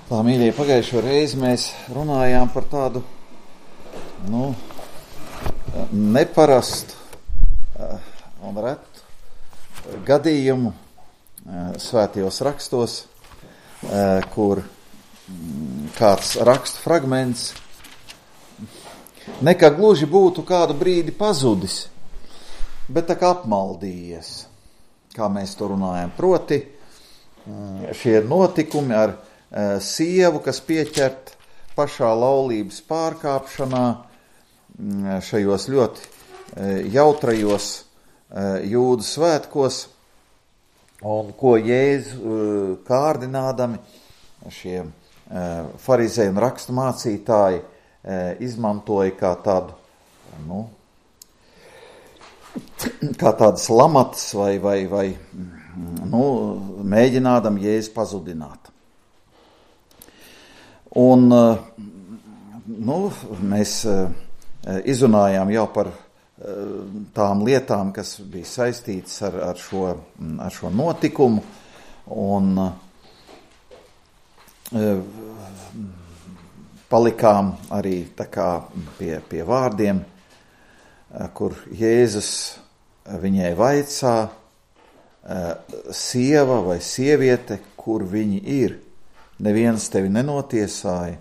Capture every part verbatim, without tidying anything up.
Tā, mīļie, pagājušo reizi mēs runājām par tādu, nu, neparastu un retu gadījumu svētajos rakstos, kur kāds rakstu fragments nekā gluži būtu kādu brīdi pazudis, bet tā kā apmaldījies, kā mēs to runājam. Proti, šie notikumi ar sievu, kas pieķert pašā laulības pārkāpšanā, šajos ļoti jautrajos jūdu svētkos, un ko Jēzu kārdinādami šie farizēji un rakstu mācītāji izmantoja kā tādu, nu, kā tādas lamatas vai, vai, vai nu, mēģinādam Jēzu pazudināt. Un, nu, mēs izrunājām jau par tām lietām, kas bija saistītas ar, ar, šo, ar šo notikumu, un palikām arī tā kā pie, pie vārdiem, kur Jēzus viņai vaicā, sieva vai sieviete, kur viņi ir, neviens tevi nenotiesāja.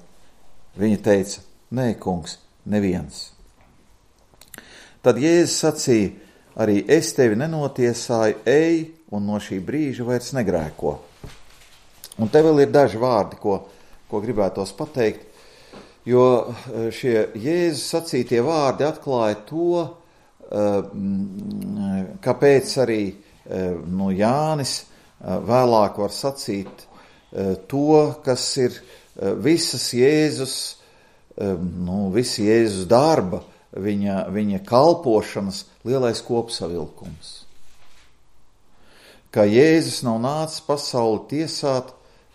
Viņa teica, nē, kungs, neviens. Tad Jēzus sacīja, arī es tevi nenotiesāju, ej un no šī brīža vairs negrēko. Un te vēl ir daži vārdi, ko, ko gribētos pateikt, jo šie Jēzus sacītie vārdi atklāja to, kāpēc arī nu, Jānis vēlāk var sacīt to, kas ir visas Jēzus, nu, visi Jēzus darba, viņa, viņa kalpošanas lielais kopsavilkums. Ka Jēzus nav nācis pasauli tiesāt,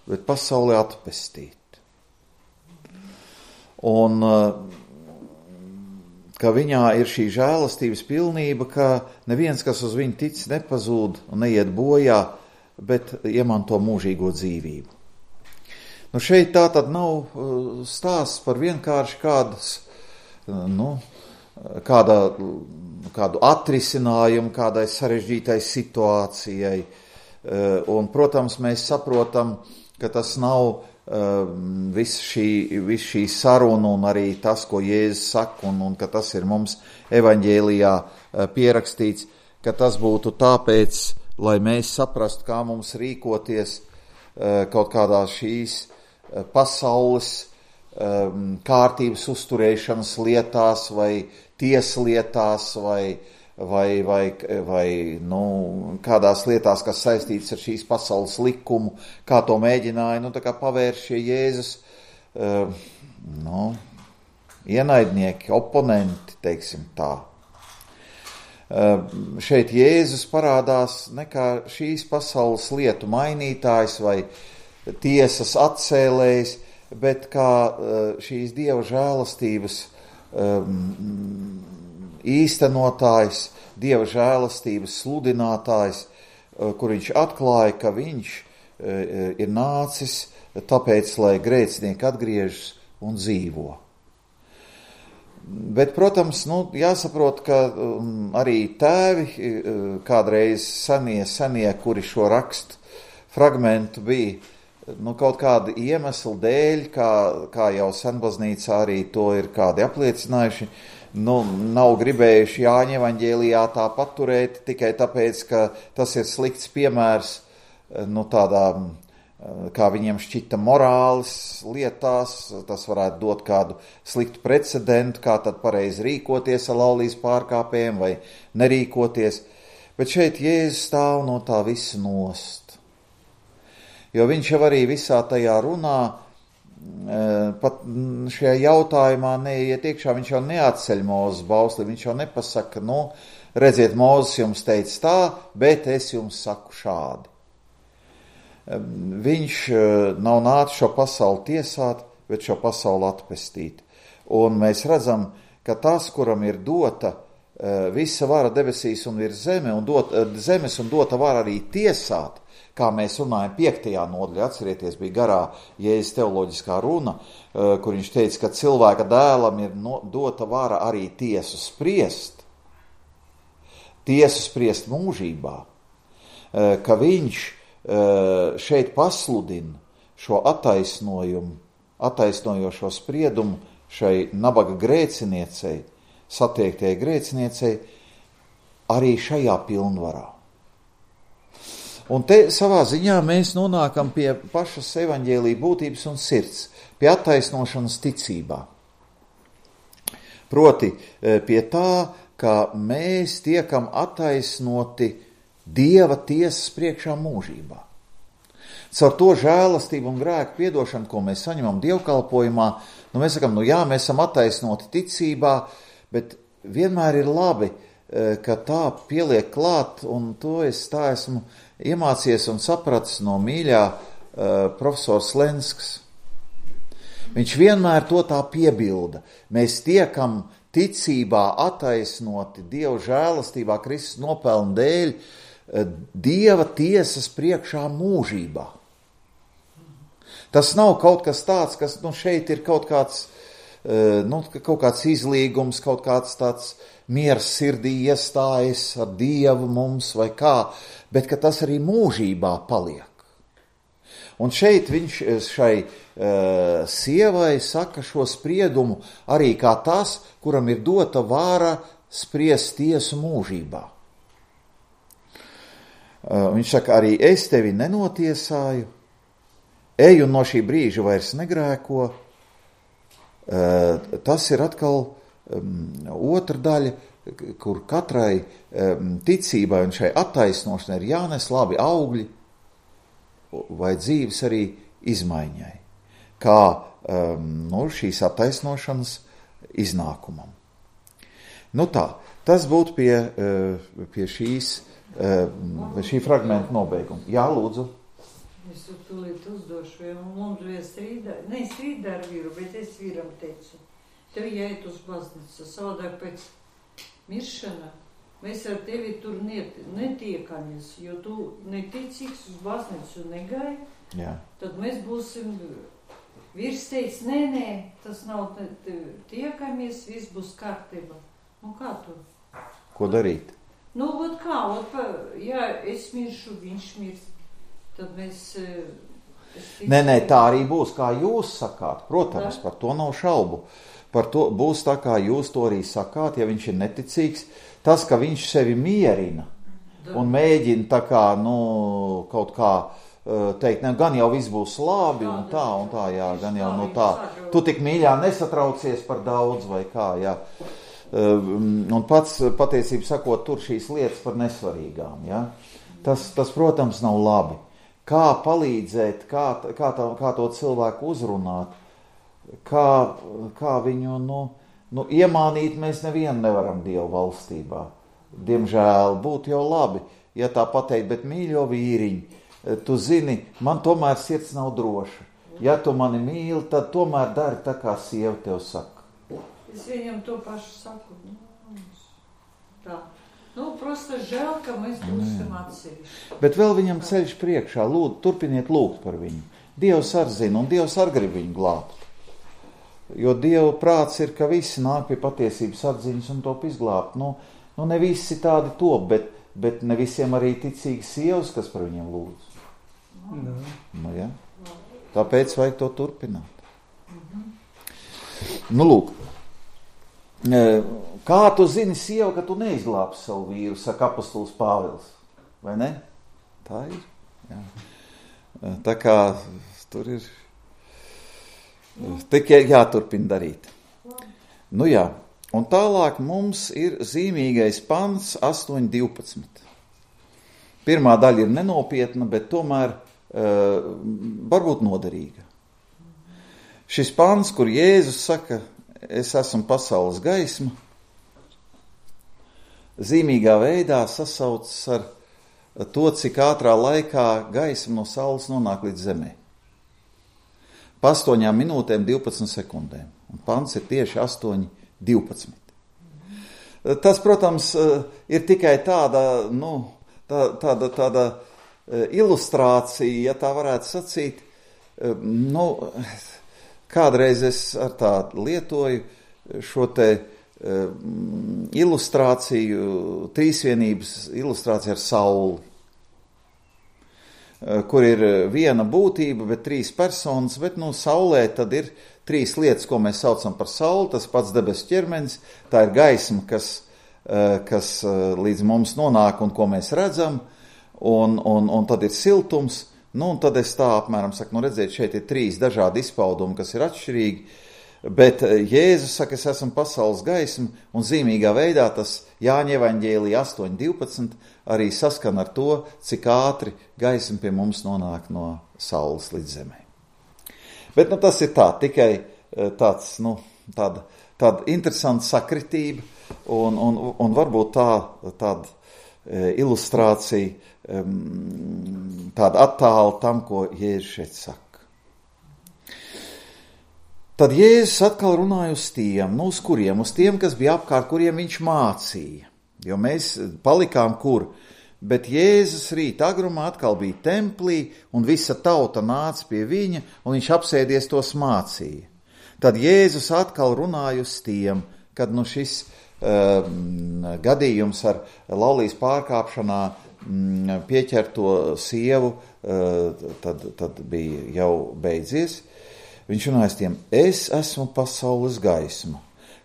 bet pasauli atpestīt. Un ka viņā ir šī žēlastības pilnība, ka neviens, kas uz viņu tic, nepazūd un neiet bojā, bet iemanto mūžīgo dzīvību. Nu šeit tā tad nav stāsts par vienkārši kādas, nu, kādā, kādu atrisinājumu, kādai sarežģītai situācijai. Un, protams, mēs saprotam, ka tas nav viss šī, vis šī saruna un arī tas, ko Jēzus saka, un, un ka tas ir mums evaņģēlijā pierakstīts, ka tas būtu tāpēc, lai mēs saprastu, kā mums rīkoties kaut kādā šīs pasaules kārtības uzturēšanas lietās vai tieslietās vai, vai, vai, vai nu, kādās lietās, kas saistītas ar šīs pasaules likumu, kā to mēģināja, nu, tā kā pavērš šie Jēzus, nu, ienaidnieki, oponenti, teiksim tā. Šeit Jēzus parādās ne kā šīs pasaules lietu mainītājs vai tiesas atcēlējs, bet kā šīs Dieva žēlastības īstenotājs, Dieva žēlastības sludinātājs, kur viņš atklāja, ka viņš ir nācis tāpēc, lai grēcinieki atgriežas un dzīvo. Bet, protams, nu, jāsaprot, ka arī tēvi kādreiz senie, senie, kuri šo rakstu fragmentu bija, nu, kaut kāda iemesla dēļ, kā, kā jau senbaznīcā arī to ir kādi apliecinājuši, nu, nav gribējuši Jāņa evaņģēlijā tā paturēt tikai tāpēc, ka tas ir slikts piemērs, nu, tādām, kā viņiem šķita morāles lietās, tas varētu dot kādu sliktu precedentu, kā tad pareizi rīkoties ar laulības pārkāpējiem vai nerīkoties, bet šeit Jēzus stāv no tā visa nost. Jo viņš jau arī visā tajā runā, pat šajā jautājumā neiet iekšā, viņš jau neatceļ Mūzes bausli, viņš jau nepasaka, nu, redziet, Mūzes jums teica tā, bet es jums saku šādi. Viņš nav nācis šo pasauli tiesāt, bet šo pasauli atpestīt. Un mēs redzam, ka tas, kuram ir dota visa vara debesīs un ir zeme, un dot, zemes un dota vara arī tiesāt, kā mēs runājam piektajā nodaļā, atcerieties, bija garā Jēzus teoloģiskā runa, kur viņš teica, ka cilvēka dēlam ir no, dota vara arī tiesu spriest, tiesu spriest mūžībā, ka viņš šeit pasludina šo attaisnojumu, attaisnojošo spriedumu šai nabaga grēciniecei, satiektajai grēciniecei, arī šajā pilnvarā. Un te savā ziņā mēs nonākam pie pašas evaņģēlija būtības un sirds, pie attaisnošanas ticībā. Proti pie tā, ka mēs tiekam attaisnoti Dieva tiesas priekšā mūžībā. Caur to žēlastību un grēku piedošanu, ko mēs saņemam dievkalpojumā, nu mēs sakam, nu jā, mēs esam attaisnoti ticībā, bet vienmēr ir labi, ka tā pieliek klāt, un to es tā esmu iemācies un sapratis no mīļā uh, profesors Lenskas. Viņš vienmēr to tā piebilda. Mēs tiekam ticībā attaisnoti Dieva žēlastībā, Kristus nopelna dēļ, uh, Dieva tiesas priekšā mūžībā. Tas nav kaut kas tāds, kas nu, šeit ir kaut kāds, uh, nu, kaut kāds izlīgums, kaut kāds tāds miers sirdī iestājas ar Dievu mums vai kā, bet ka tas arī mūžībā paliek. Un šeit viņš šai uh, sievai saka šo spriedumu arī kā tas, kuram ir dota vāra spriest tiesu mūžībā. Uh, viņš saka, arī es tevi nenotiesāju, ej un no šī brīža vairs negrēko. Uh, tas ir atkal um, otra daļa, kur katrai um, ticībai un šai attaisnošanai ir jānes labi augļi vai dzīves arī izmaiņai, kā um, nu, šīs attaisnošanas iznākumam. Nu tā, tas būtu pie, uh, pie šīs, uh, šī fragmenta nobeiguma. Jā, lūdzu. Es tūlīt uzdošu, jo mums bija strīdā, ne strīdā ar vīru, bet es vīram teicu, tev jāiet uz baznīcu, savādāk pēc miršana, mēs ar tevi tur net, netiekamies, jo tu neticīgs uz baznīcu negai, jā. Tad mēs būsim, vīrs teica, nē, nē, tas nav tiekamies, viss būs kārtībā. Nu kā tu? Ko darīt? Nu, ot kā, ot, ja es miršu, viņš mirs, tad mēs... Nē, nē, tā arī būs, kā jūs sakāt, protams, tā? Par to nav šaubu. Par to būs tā, kā jūs to arī sakāt, ja viņš ir neticīgs. Tas, ka viņš sevi mierina un mēģina tā kā, nu, kaut kā teikt, ne, gan jau viss būs labi un tā, un tā, jā, gan jau no tā. Tu tik mīļā nesatraucies par daudz vai kā, jā. Un pats, patiesību sakot, tur šīs lietas par nesvarīgām, jā. Tas, tas, protams, nav labi. Kā palīdzēt, kā, kā, tā, kā to cilvēku uzrunāt, Kā, kā viņu, nu, nu, iemānīt mēs nevienu nevaram Dievu valstībā. Diemžēl būtu jau labi, ja tā pateikt, bet mīļo vīriņi, tu zini, man tomēr sirds nav droša. Ja tu mani mīli, tad tomēr dari tā, kā sieva tev saka. Es viņam to pašu saku. Tā. Nu, prosta žēl, ka mēs būsim atsevišķi. Bet vēl viņam ceļš priekšā, lūd, turpiniet lūgt par viņu. Dievs ar zina, un Dievs ar grib viņu glābt. Jo Dieva prāts ir, ka visi nāk pie patiesības atziņas un top izglābt. Nu, nu ne visi tādi top, bet, bet ne visiem arī ticīgi sievas, kas par viņiem lūdz. No. Nu, ja? Tāpēc vajag to turpināt. Mm-hmm. Nu, lūk. Kā tu zini, sieva, ka tu neizglābsi savu vīru, saka apostols Pāvils? Vai ne? Tā ir. Jā. Tā kā tur ir... Tikai jāturpina darīt. Nu jā, un tālāk mums ir zīmīgais pants astoņi divpadsmit. Pirmā daļa ir nenopietna, bet tomēr uh, varbūt noderīga. Šis pants, kur Jēzus saka, es esmu pasaules gaisma, zīmīgā veidā sasaucas ar to, cik ātrā laikā gaisma no saules nonāk līdz zemē. Pa astoņām minūtēm divpadsmit sekundēm. Un pants ir tieši astoņi divpadsmit. Tas, protams, ir tikai tāda, nu, tā, tāda, tāda ilustrācija, ja tā varētu sacīt. Nu, kādreiz es ar tādu lietoju šo te ilustrāciju, trīsvienības ilustrāciju ar sauli, kur ir viena būtība, bet trīs personas, bet nu saulē tad ir trīs lietas, ko mēs saucam par sauli, tas pats debesu ķermenis, tā ir gaisma, kas, kas līdz mums nonāk un ko mēs redzam, un, un, un tad ir siltums, nu un tad es tā apmēram saku, nu redziet, šeit ir trīs dažādi izpaudumi, kas ir atšķirīgi, bet Jēzus saka, es esmu pasaules gaisma, un zīmīgā veidā tas Jāņa evaņģēlija astoņi divpadsmit arī saskan ar to, cik ātri gaisma pie mums nonāk no saules līdz zemē. Bet nu, tas ir tā, tikai tāds, nu, tāda, tāda interesanta sakritība, un, un, un varbūt tā, tāda ilustrācija, tāda attāla tam, ko Jēzus šeit saka. Tad Jēzus atkal runāja uz tiem, nu uz kuriem, uz tiem, kas bija apkārt, kuriem viņš mācīja, jo mēs palikām kur, bet Jēzus rīt agrumā atkal bija templī, un visa tauta nāca pie viņa, un viņš apsēdies tos mācīja. Tad Jēzus atkal runāja uz tiem, kad nu šis uh, gadījums ar laulības pārkāpšanā um, pieķerto sievu, uh, tad, tad bija jau beidzies. Viņš runāja tiem, es esmu pasaules gaisma,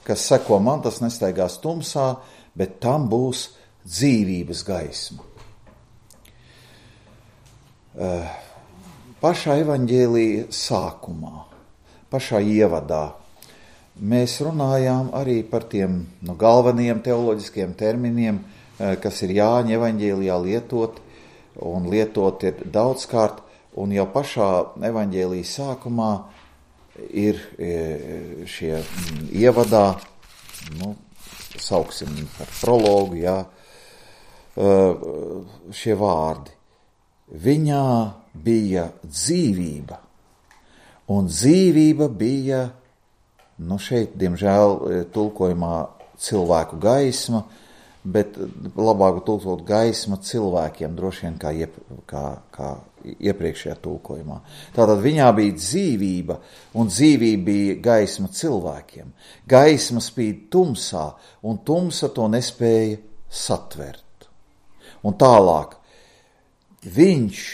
kas seko man, tas nestaigās tumsā, bet tam būs dzīvības gaisma. Pašā evaņģēlija sākumā, pašā ievadā, mēs runājām arī par tiem nu, galvenajiem teoloģiskiem terminiem, kas ir Jāņa evaņģēlijā lietot, un lietot ir daudzkārt, un jau pašā evaņģēlija sākumā ir šie ievadā, nu, sauksim par prologu, jā, šie vārdi. Viņā bija dzīvība, un dzīvība bija, nu šeit, diemžēl, tulkojumā cilvēku gaisma, bet labāk tulkot gaisma cilvēkiem, droši vien kā, iep, kā, kā iepriekšējā tulkojumā. Tātad viņā bija dzīvība, un dzīvība bija gaisma cilvēkiem. Gaisma spīd tumsā, un tumsa to nespēja satvert. Un tālāk, viņš,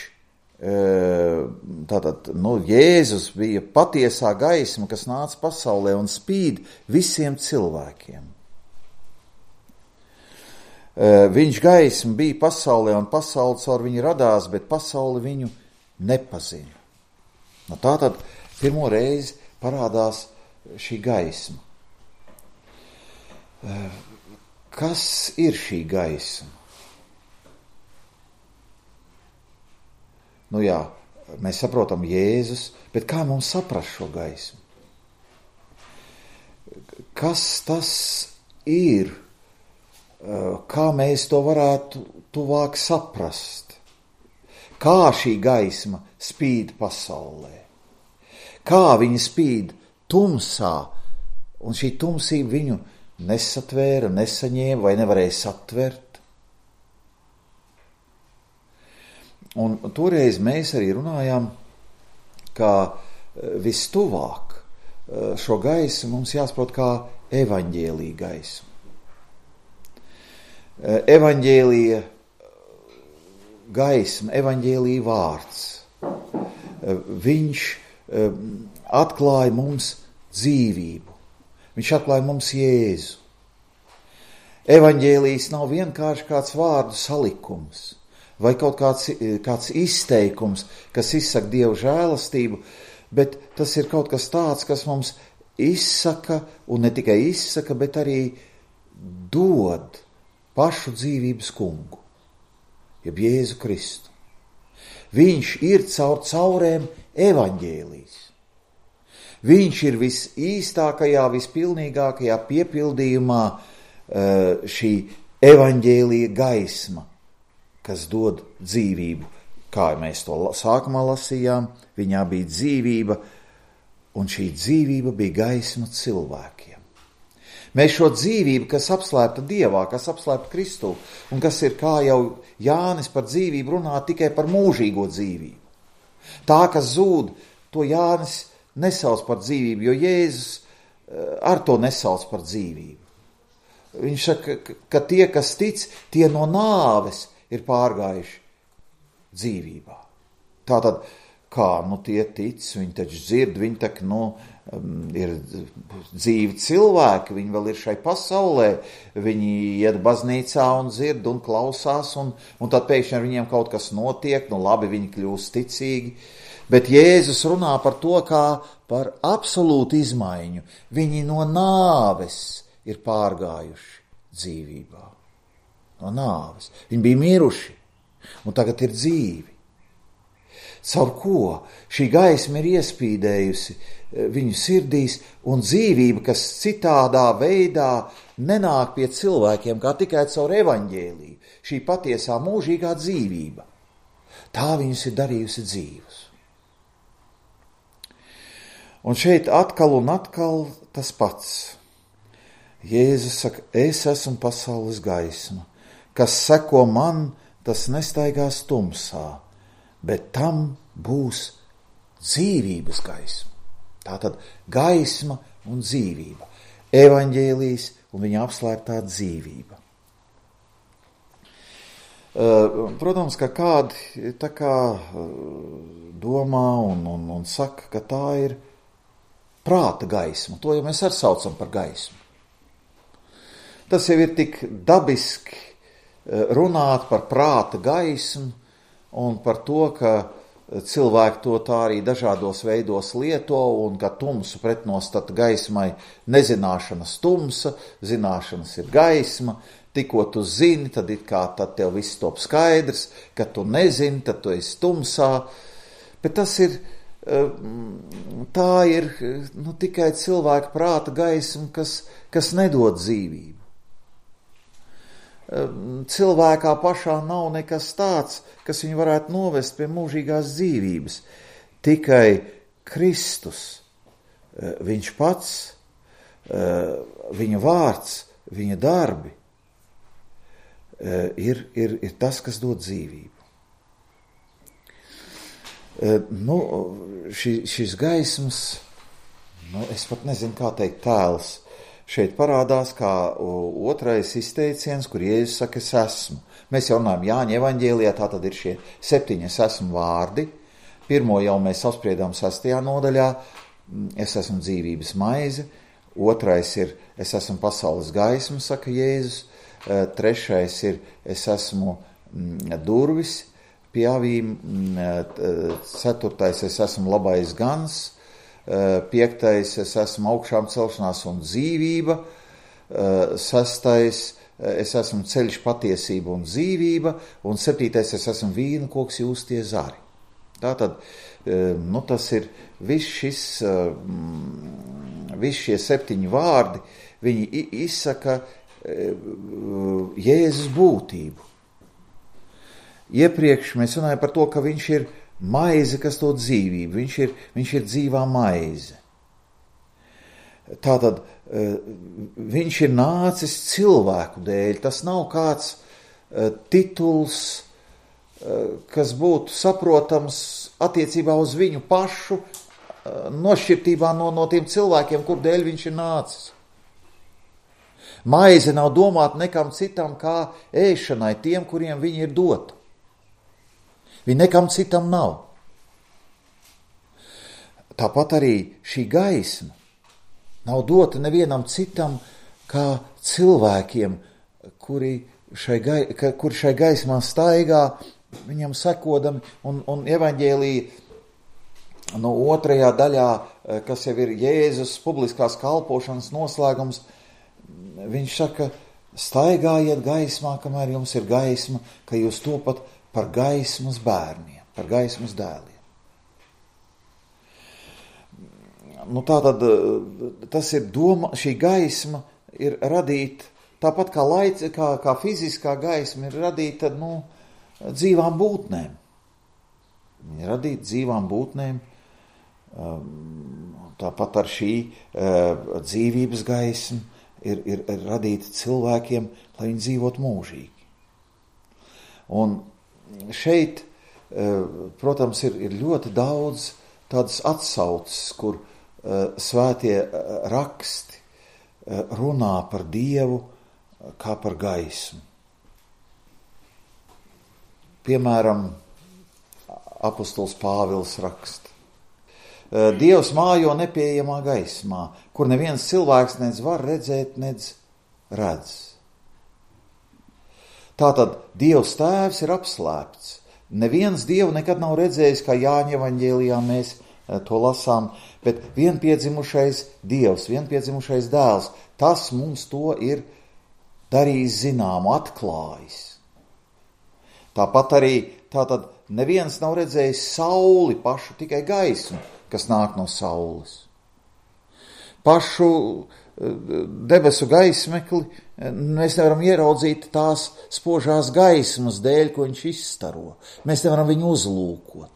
tātad, nu, Jēzus bija patiesā gaisma, kas nāca pasaulē un spīd visiem cilvēkiem. Viņš gaisma bija pasaulē, un pasaule caur viņu radās, bet pasaule viņu nepazina. Nu, tātad pirmo reizi parādās šī gaisma. Kas ir šī gaisma? Nu jā, mēs saprotam Jēzus, bet kā mums saprast šo gaismu? Kas tas ir? Kā mēs to varētu tuvāk saprast? Kā šī gaisma spīd pasaulē? Kā viņa spīd tumsā, un šī tumsība viņu nesatvēra, nesaņēma vai nevarēja satvert? Un toreiz mēs arī runājām, ka vistuvāk šo gaismu mums jāsaprot kā evaņģēlija gaismu. Evaņģēlija gaisma, evaņģēlija vārds. Viņš atklāja mums dzīvību. Viņš atklāja mums Jēzu. Evaņģēlijs nav vienkārši kāds vārdu salikums vai kaut kāds, kāds izteikums, kas izsaka Dievu žēlastību, bet tas ir kaut kas tāds, kas mums izsaka, un ne tikai izsaka, bet arī dod pašu dzīvības kungu, jeb Jēzu Kristu. Viņš ir caur caurēm evaņģēlijs. Viņš ir visīstākajā, vispilnīgākajā piepildījumā šī evaņģēlija gaisma, kas dod dzīvību. Kā mēs to sākumā lasījām, viņā bija dzīvība, un šī dzīvība bija gaisma cilvēkiem. Mēs šo dzīvību, kas apslēpta Dievā, kas apslēpta Kristū, un kas ir, kā jau Jānis par dzīvību runā, tikai par mūžīgo dzīvību. Tā, kas zūd, to Jānis nesauc par dzīvību, jo Jēzus ar to nesauc par dzīvību. Viņš saka, ka tie, kas tic, tie no nāves ir pārgājuši dzīvībā. Tātad, kā, nu tie tic, viņi taču dzird, viņi tak, nu, ir dzīvi cilvēki, viņi vēl ir šai pasaulē, viņi iet baznīcā un dzird un klausās, un, un tad pēkšņi ar viņiem kaut kas notiek, nu labi, viņi kļūst ticīgi. Bet Jēzus runā par to kā par absolūtu izmaiņu. Viņi no nāves ir pārgājuši dzīvībā. No nāves. Viņi bija miruši, un tagad ir dzīvi. Caur ko šī gaisma ir iespīdējusi viņu sirdīs, un dzīvība, kas citādā veidā nenāk pie cilvēkiem, kā tikai caur evaņģēliju, šī patiesā mūžīgā dzīvība, tā viņus ir darījusi dzīvus. Un šeit atkal un atkal tas pats. Jēzus saka, es esmu pasaules gaisma, kas seko man, tas nestaigās tumsā, bet tam būs dzīvības gaisma. Tātad gaisma un dzīvība, evaņģēlijs un viņa apslēptā dzīvība. Protams, ka kādi tā kā domā un, un, un saka, ka tā ir prāta gaisma. To jau mēs arī saucam par gaismu. Tas jau ir tik dabiski runāt par prāta gaismu un par to, ka cilvēki to tā arī dažādos veidos lieto, un ka tumsu pretnostata gaismai nezināšanas tumsa, zināšanas ir gaisma, tikko tu zini, tad it kā tad tev viss top skaidrs, ka tu nezini, tad tu esi tumsā, bet tas ir, tā ir nu, tikai cilvēka prāta gaisma, kas, kas nedod dzīvību. Cilvēkā pašā nav nekas tāds, kas viņu varētu novest pie mūžīgās dzīvības. Tikai Kristus, viņš pats, viņa vārds, viņa darbi ir, ir, ir tas, kas dod dzīvību. Nu, ši, šis gaismas, nu, es pat nezinu, kā teikt, tēls, šeit parādās kā otrais izteiciens, kur Jēzus saka, es esmu. Mēs jau runājam Jāņa evaņģēlijā, tā tad ir šie septiņi es esmu vārdi. Pirmo jau mēs apspriedām sastajā nodaļā, es esmu dzīvības maize. Otrais ir, es esmu pasaules gaisma, saka Jēzus. Trešais ir, es esmu durvis pie avīm. Ceturtais, es esmu labais gans. Piektais, es esmu augšām celšanās un dzīvība. Sestais, es esmu ceļš, patiesība un dzīvība. Un septītais, es esmu vīna koks, jūs tie zari. Tātad, nu tas ir viss šis, viss šie septiņi vārdi, viņi izsaka Jēzus būtību. Iepriekš mēs runājam par to, ka viņš ir maize, kas dod dzīvību, viņš ir, viņš ir dzīvā maize. Tātad viņš ir nācis cilvēku dēļ, tas nav kāds tituls, kas būtu saprotams attiecībā uz viņu pašu, nošķirtībā no, no tiem cilvēkiem, kur dēļ viņš ir nācis. Maize nav domāta nekam citam kā ēšanai tiem, kuriem viņa ir dota. Viņa nekam citam nav. Tāpat arī šī gaisma nav dota nevienam citam kā cilvēkiem, kuri šai, gai, kuri šai gaismā staigā, viņam sekodami, un, un evaņģēlija no otrajā daļā, kas jau ir Jēzus publiskās kalpošanas noslēgums, viņš saka, staigājiet gaismā, kamēr jums ir gaisma, ka jūs topat par gaismas bērniem, par gaismas dēliem. Nu, tātad tas ir doma, šī gaisma ir radīta, tāpat kā, laic, kā, kā fiziskā gaisma ir radīta nu, dzīvām būtnēm. Viņa ir radīta dzīvām būtnēm, tāpat ar šī dzīvības gaismu ir, ir, ir radīti cilvēkiem, lai viņi dzīvotu mūžīgi. Un šeit, protams, ir, ir ļoti daudz tādas atsauces, kur svētie raksti runā par Dievu kā par gaismu. Piemēram, apostols Pāvils raksta: Dievs mājo nepieejamā gaismā, kur neviens cilvēks nedz var redzēt, nedz redz. Tātad Dievs Tēvs ir apslēpts. Neviens Dievu nekad nav redzējis, kā Jāņa evaņģēlijā mēs to lasām, bet vienpiedzimušais Dievs, vienpiedzimušais Dēls, tas mums to ir darījis zināmu, atklājis. Tāpat arī tātad neviens nav redzējis sauli pašu, tikai gaismu, kas nāk no saules. Pašu debesu gaismekli mēs nevaram ieraudzīt tās spožās gaismas dēļ, ko viņš izstaro. Mēs nevaram viņu uzlūkot.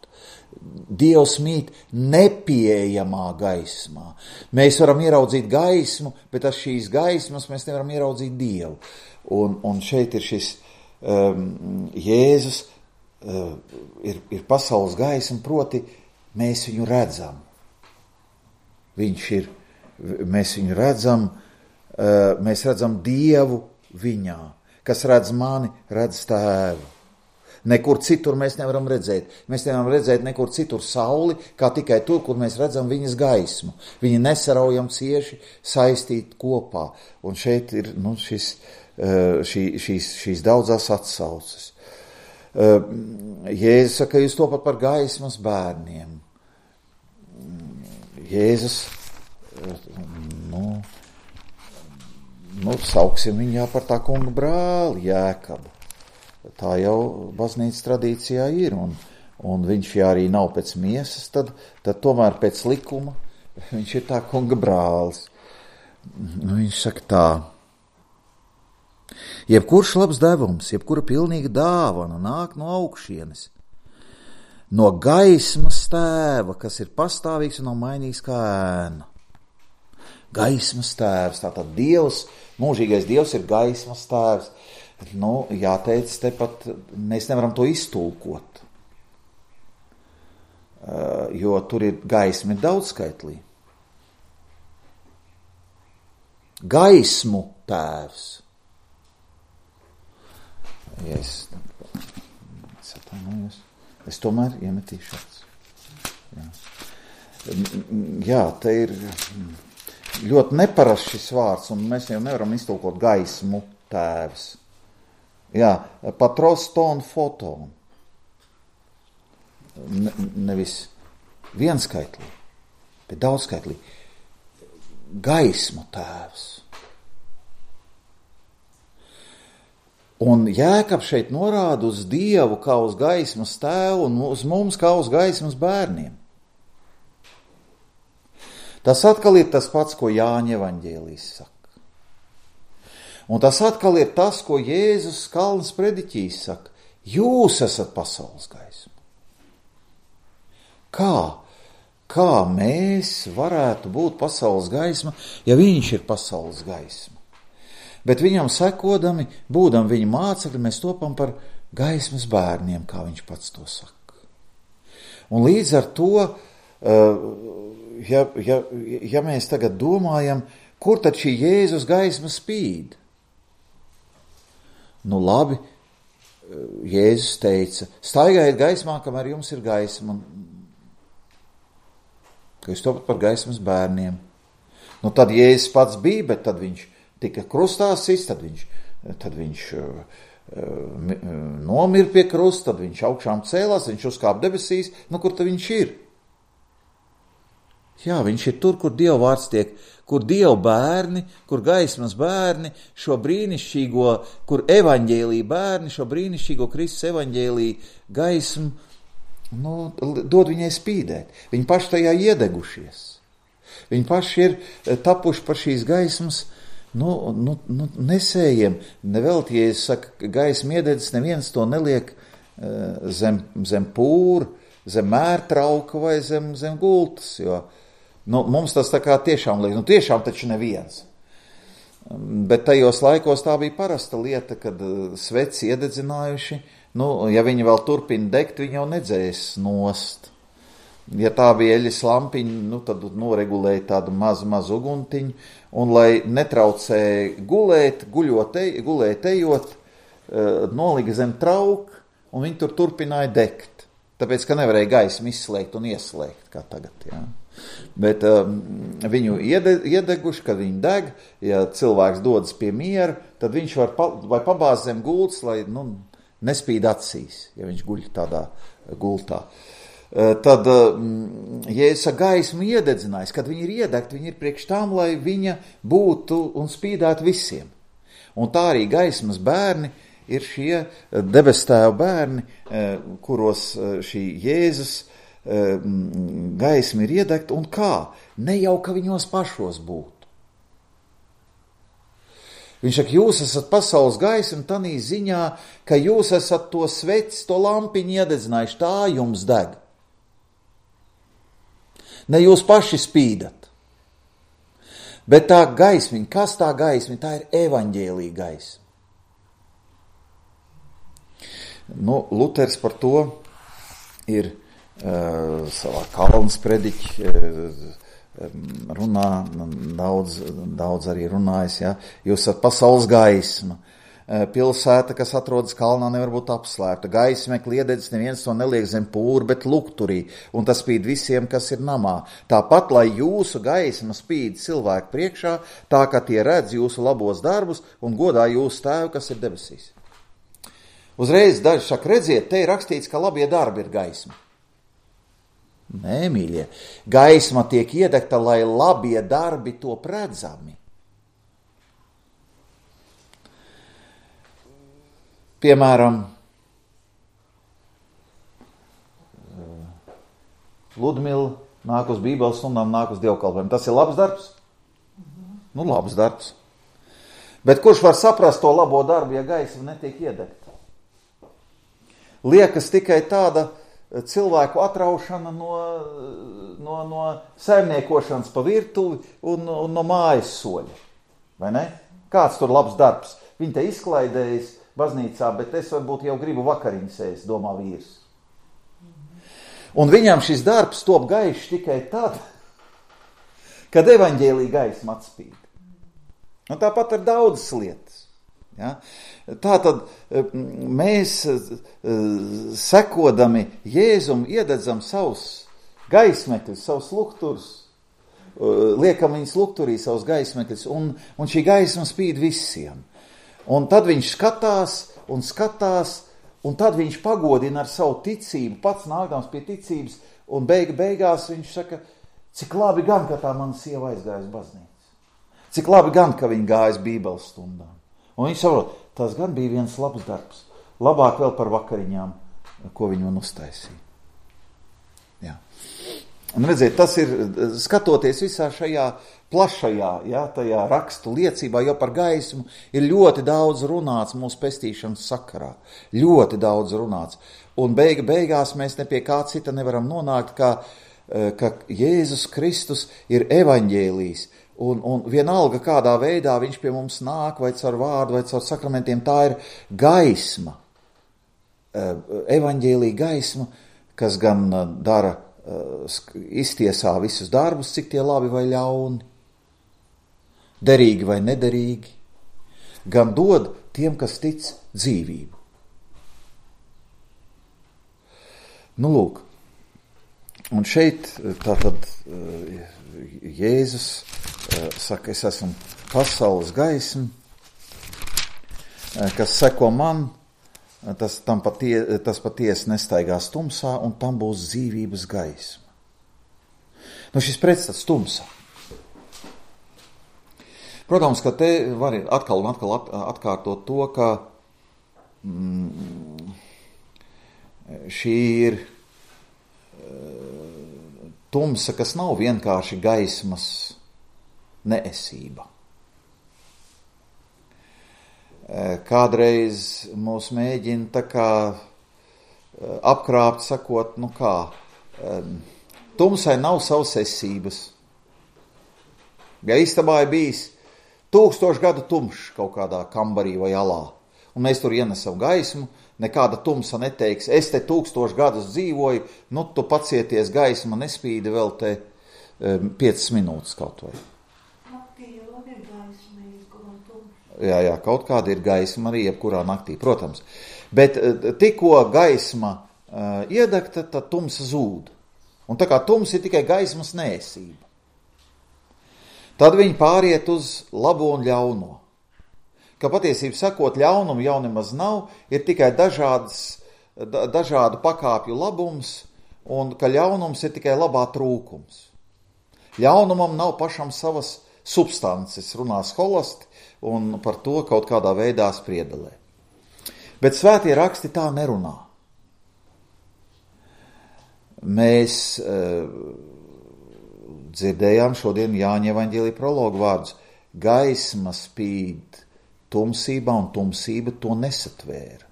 Dievs mīt nepieejamā gaismā. Mēs varam ieraudzīt gaismu, bet ar šīs gaismas mēs nevaram ieraudzīt Dievu. Un, un šeit ir šis um, Jēzus uh, ir, ir pasaules gaisma, proti mēs viņu redzam. Viņš ir, mēs viņu redzam, uh, mēs redzam Dievu viņā. Kas redz mani, redz Tēvu. Nekur citur mēs nevaram redzēt. Mēs nevaram redzēt nekur citur sauli, kā tikai tur, kur mēs redzam viņas gaismu. Viņi nesaraujam cieši saistīt kopā. Un šeit ir nu, šis, šī, šīs, šīs daudzās atsauces. Jēzus saka, jūs topat par gaismas bērniem. Jēzus, nu, nu sauksim viņā par tā kunga brāli Jēkabu. Tā jau baznīcas tradīcijā ir, un, un viņš, ja arī nav pēc miesas, tad, tad tomēr pēc likuma viņš ir tā kunga brālis. Nu, viņš saka tā: jebkurš labs devums, jebkura pilnīga dāvana nāk no augšienes, no gaismas Tēva, kas ir pastāvīgs un nav mainīgs kā ēna. Gaismas Tēvs, tātad Dievs, mūžīgais Dievs ir gaismas Tēvs. Nu, jāteic, tepat mēs nevaram to iztulkot, jo tur ir gaismi daudzskaitlī. Gaismu Tēvs. Ja es, es, es tomēr iemetīšu acis. Jā. Jā, te ir ļoti neparasts šis vārds, un mēs jau nevaram iztulkot gaismu Tēvs. Jā, patros ton foton. Ne, nevis vienskaitlī, bet daudzskaitlī. Gaismu Tēvs. Un Jēkabs šeit norāda uz Dievu kā uz gaismas Tēvu un uz mums kā uz gaismas bērniem. Tas atkal ir tas pats, ko Jāņa evaņģēlijs saka. Un tas atkal ir tas, ko Jēzus Kalnas prediķīs saka: jūs esat pasaules gaisma. Kā? Kā mēs varētu būt pasaules gaisma, ja viņš ir pasaules gaisma? Bet viņam sekodami, būdam viņa mācekļi, mēs topam par gaismas bērniem, kā viņš pats to saka. Un līdz ar to, ja, ja, ja mēs tagad domājam, kur tad šī Jēzus gaisma spīd? Nu labi, Jēzus teica: staigājiet gaismā, kamēr jums ir gaisma, ka jūs topat par gaismas bērniem. Nu tad Jēzus pats bija, bet tad viņš tika krustā sist, tad viņš, tad viņš uh, nomir pie krusta, tad viņš augšām cēlās, viņš uzkāp debesīs. Nu kur tad viņš ir? Jā, viņš ir tur, kur Dieva vārds tiek, kur Dieva bērni, kur gaismas bērni, šo brīnišķīgo, kur evaņģēlija bērni, šo brīnišķīgo Kristus evaņģēlija gaismu, nu, dod viņai spīdēt. Viņi paši tajā iedegušies. Viņi paši ir tapuši par šīs gaismas, nu, nu, nu nesējiem. Nevelti, ja es saku, gaisma iededzis, neviens to neliek zem, zem pūra, zem mērtrauka vai zem, zem gultas, jo nu, mums tas tā kā tiešām liek, nu tiešām taču neviens. Bet tajos laikos tā bija parasta lieta, kad sveci iededzinājuši, nu, ja viņi vēl turpina degt, viņi jau nedzēs nost. Ja tā bija eļas lampiņa, nu, tad noregulēja tādu mazu, mazu uguntiņu, un lai netraucēja gulēt, guļot, gulēt ejot, nolika zem trauka, un viņi tur turpināja degt. Tāpēc, ka nevarēja gaismu izslēgt un ieslēgt, kā tagad, jā. Bet um, viņu iede, iedeguši, kad viņi deg, ja cilvēks dodas pie miera, tad viņš var pa, vai pabāzt zem gultas, lai nu, nespīd acīs, ja viņš guļ tādā gultā. Uh, tad, um, ja es ar gaismu iededzinājis, kad viņi ir iedegti, viņi ir priekš tām, lai viņa būtu un spīdētu visiem. Un tā arī gaismas bērni ir šie debestēva bērni, kuros šī Jēzus gaisma ir iedegta, un kā? Ne jau, ka viņos pašos būtu. Viņš saka, jūs esat pasaules gaisma tanī ziņā, ka jūs esat to sveci, to lampiņu iededzinājuši, tā jums deg. Ne jūs paši spīdat. Bet tā gaismiņa, kas tā gaismiņa? Tā ir evaņģēlija gaisma. Nu, Luters par to ir uh, savā Kalnas prediķi uh, runā, daudz, daudz arī runājis, ja? Jūs esat pasaules gaisma. Uh, pilsēta, kas atrodas kalnā, nevar būt apslēpta. Gaismekli iededzis, neviens to neliek zem pūra, bet lukturī, un tas spīd visiem, kas ir namā. Tāpat, lai jūsu gaisma spīd cilvēku priekšā, tā, ka tie redz jūsu labos darbus un godā jūsu tēvu, kas ir debesīs. Uzreiz daži saka, redziet, te ir rakstīts, ka labie darbi ir gaisma. Nē, mīļie, gaisma tiek iedegta, lai labie darbi top redzami. Piemēram, Ludmila nāk uz Bībeles stundām, nāk uz dievkalpojumu. Tas ir labs darbs? Nu, labs darbs. Bet kurš var saprast to labo darbu, ja gaisma netiek iedegta? Liekas tikai tāda cilvēku atraušana no, no, no saimniekošanas pa virtuvi un, un no mājas soļa. Vai ne? Kāds tur labs darbs? Viņi te izklaidējas baznīcā, bet es varbūt jau gribu vakariņas ēst, domā vīrs. Un viņam šis darbs top gaišs tikai tad, kad evaņģēlija gaisma atspīd. Un tāpat ar daudzas lietas. Ja? Tātad mēs sekodami Jēzum iededzam savus gaismekļus, savus lukturus, liekam viņus lukturī, savus gaismekļus, un, un šī gaisma spīd visiem. Un tad viņš skatās un skatās, un tad viņš pagodina ar savu ticību, pats nākdams pie ticības, un beig, beigās viņš saka, cik labi gan, ka tā mana sieva aizgāja uz baznīcu. Cik labi gan, ka viņa gāja uz Bībeles stundām. Un viņš saprot, tas gan bija viens labs darbs. Labāk vēl par vakariņām, ko viņi man uztaisīja. Jā. Un redziet, tas ir, skatoties visā šajā plašajā, jā, tajā rakstu liecībā, jo par gaismu ir ļoti daudz runāts mūsu pestīšanas sakarā. Ļoti daudz runāts. Un beiga, beigās mēs ne pie kā cita nevaram nonākt, kā, ka Jēzus Kristus ir evaņģēlijs. Un, un vienalga, kādā veidā viņš pie mums nāk, vai caur vārdu, vai caur sakramentiem, tā ir gaisma, evaņģēlija gaisma, kas gan dara, iztiesā visus darbus, cik tie labi vai ļauni, derīgi vai nederīgi, gan dod tiem, kas tic, dzīvību. Nu, lūk, un šeit tātad Jēzus saka, es esmu pasaules gaisma, kas seko man, tas, tam patie, tas patiesi nestaigās tumsā, un tam būs dzīvības gaisma. Nu, šis pretstats tumsā. Protams, ka te var atkal un atkal atkārtot to, ka mm, šī ir tumsa, kas nav vienkārši gaismas neesība. Kādreiz mūs mēģina tā kā apkrāpt, sakot, nu kā, tumsai nav savas esības. Ja istabā ir bijis tūkstošu gadu tumšs kaut kādā kambarī vai alā, un mēs tur ienesam gaismu, nekāda tumsa neteiks, es te tūkstošu gadus dzīvoju, nu tu pacieties, gaisma nespīda vēl te um, piecas minūtes kaut vai. Naktī jau ir gaisma, izgulam tumšu. Jā, jā, kaut kāda ir gaisma arī jebkurā naktī, protams. Bet tikko gaisma uh, iedegta, tad tumsa zūd. Un tā kā tums ir tikai gaismas neesība. Tad viņi pāriet uz labo un ļauno. Ka patiesību sakot, ļaunumu jau nemaz nav, ir tikai dažādas, da, dažādu pakāpju labums, un ka ļaunums ir tikai labā trūkums. Ļaunumam nav pašam savas substances, runā skolasti, un par to kaut kādā veidā spriedelē. Bet svētie raksti tā nerunā. Mēs e, dzirdējām šodien Jāņa evaņģēlija prologu vārdus. Gaisma spīd tumsībā, un tumsība to nesatvēra.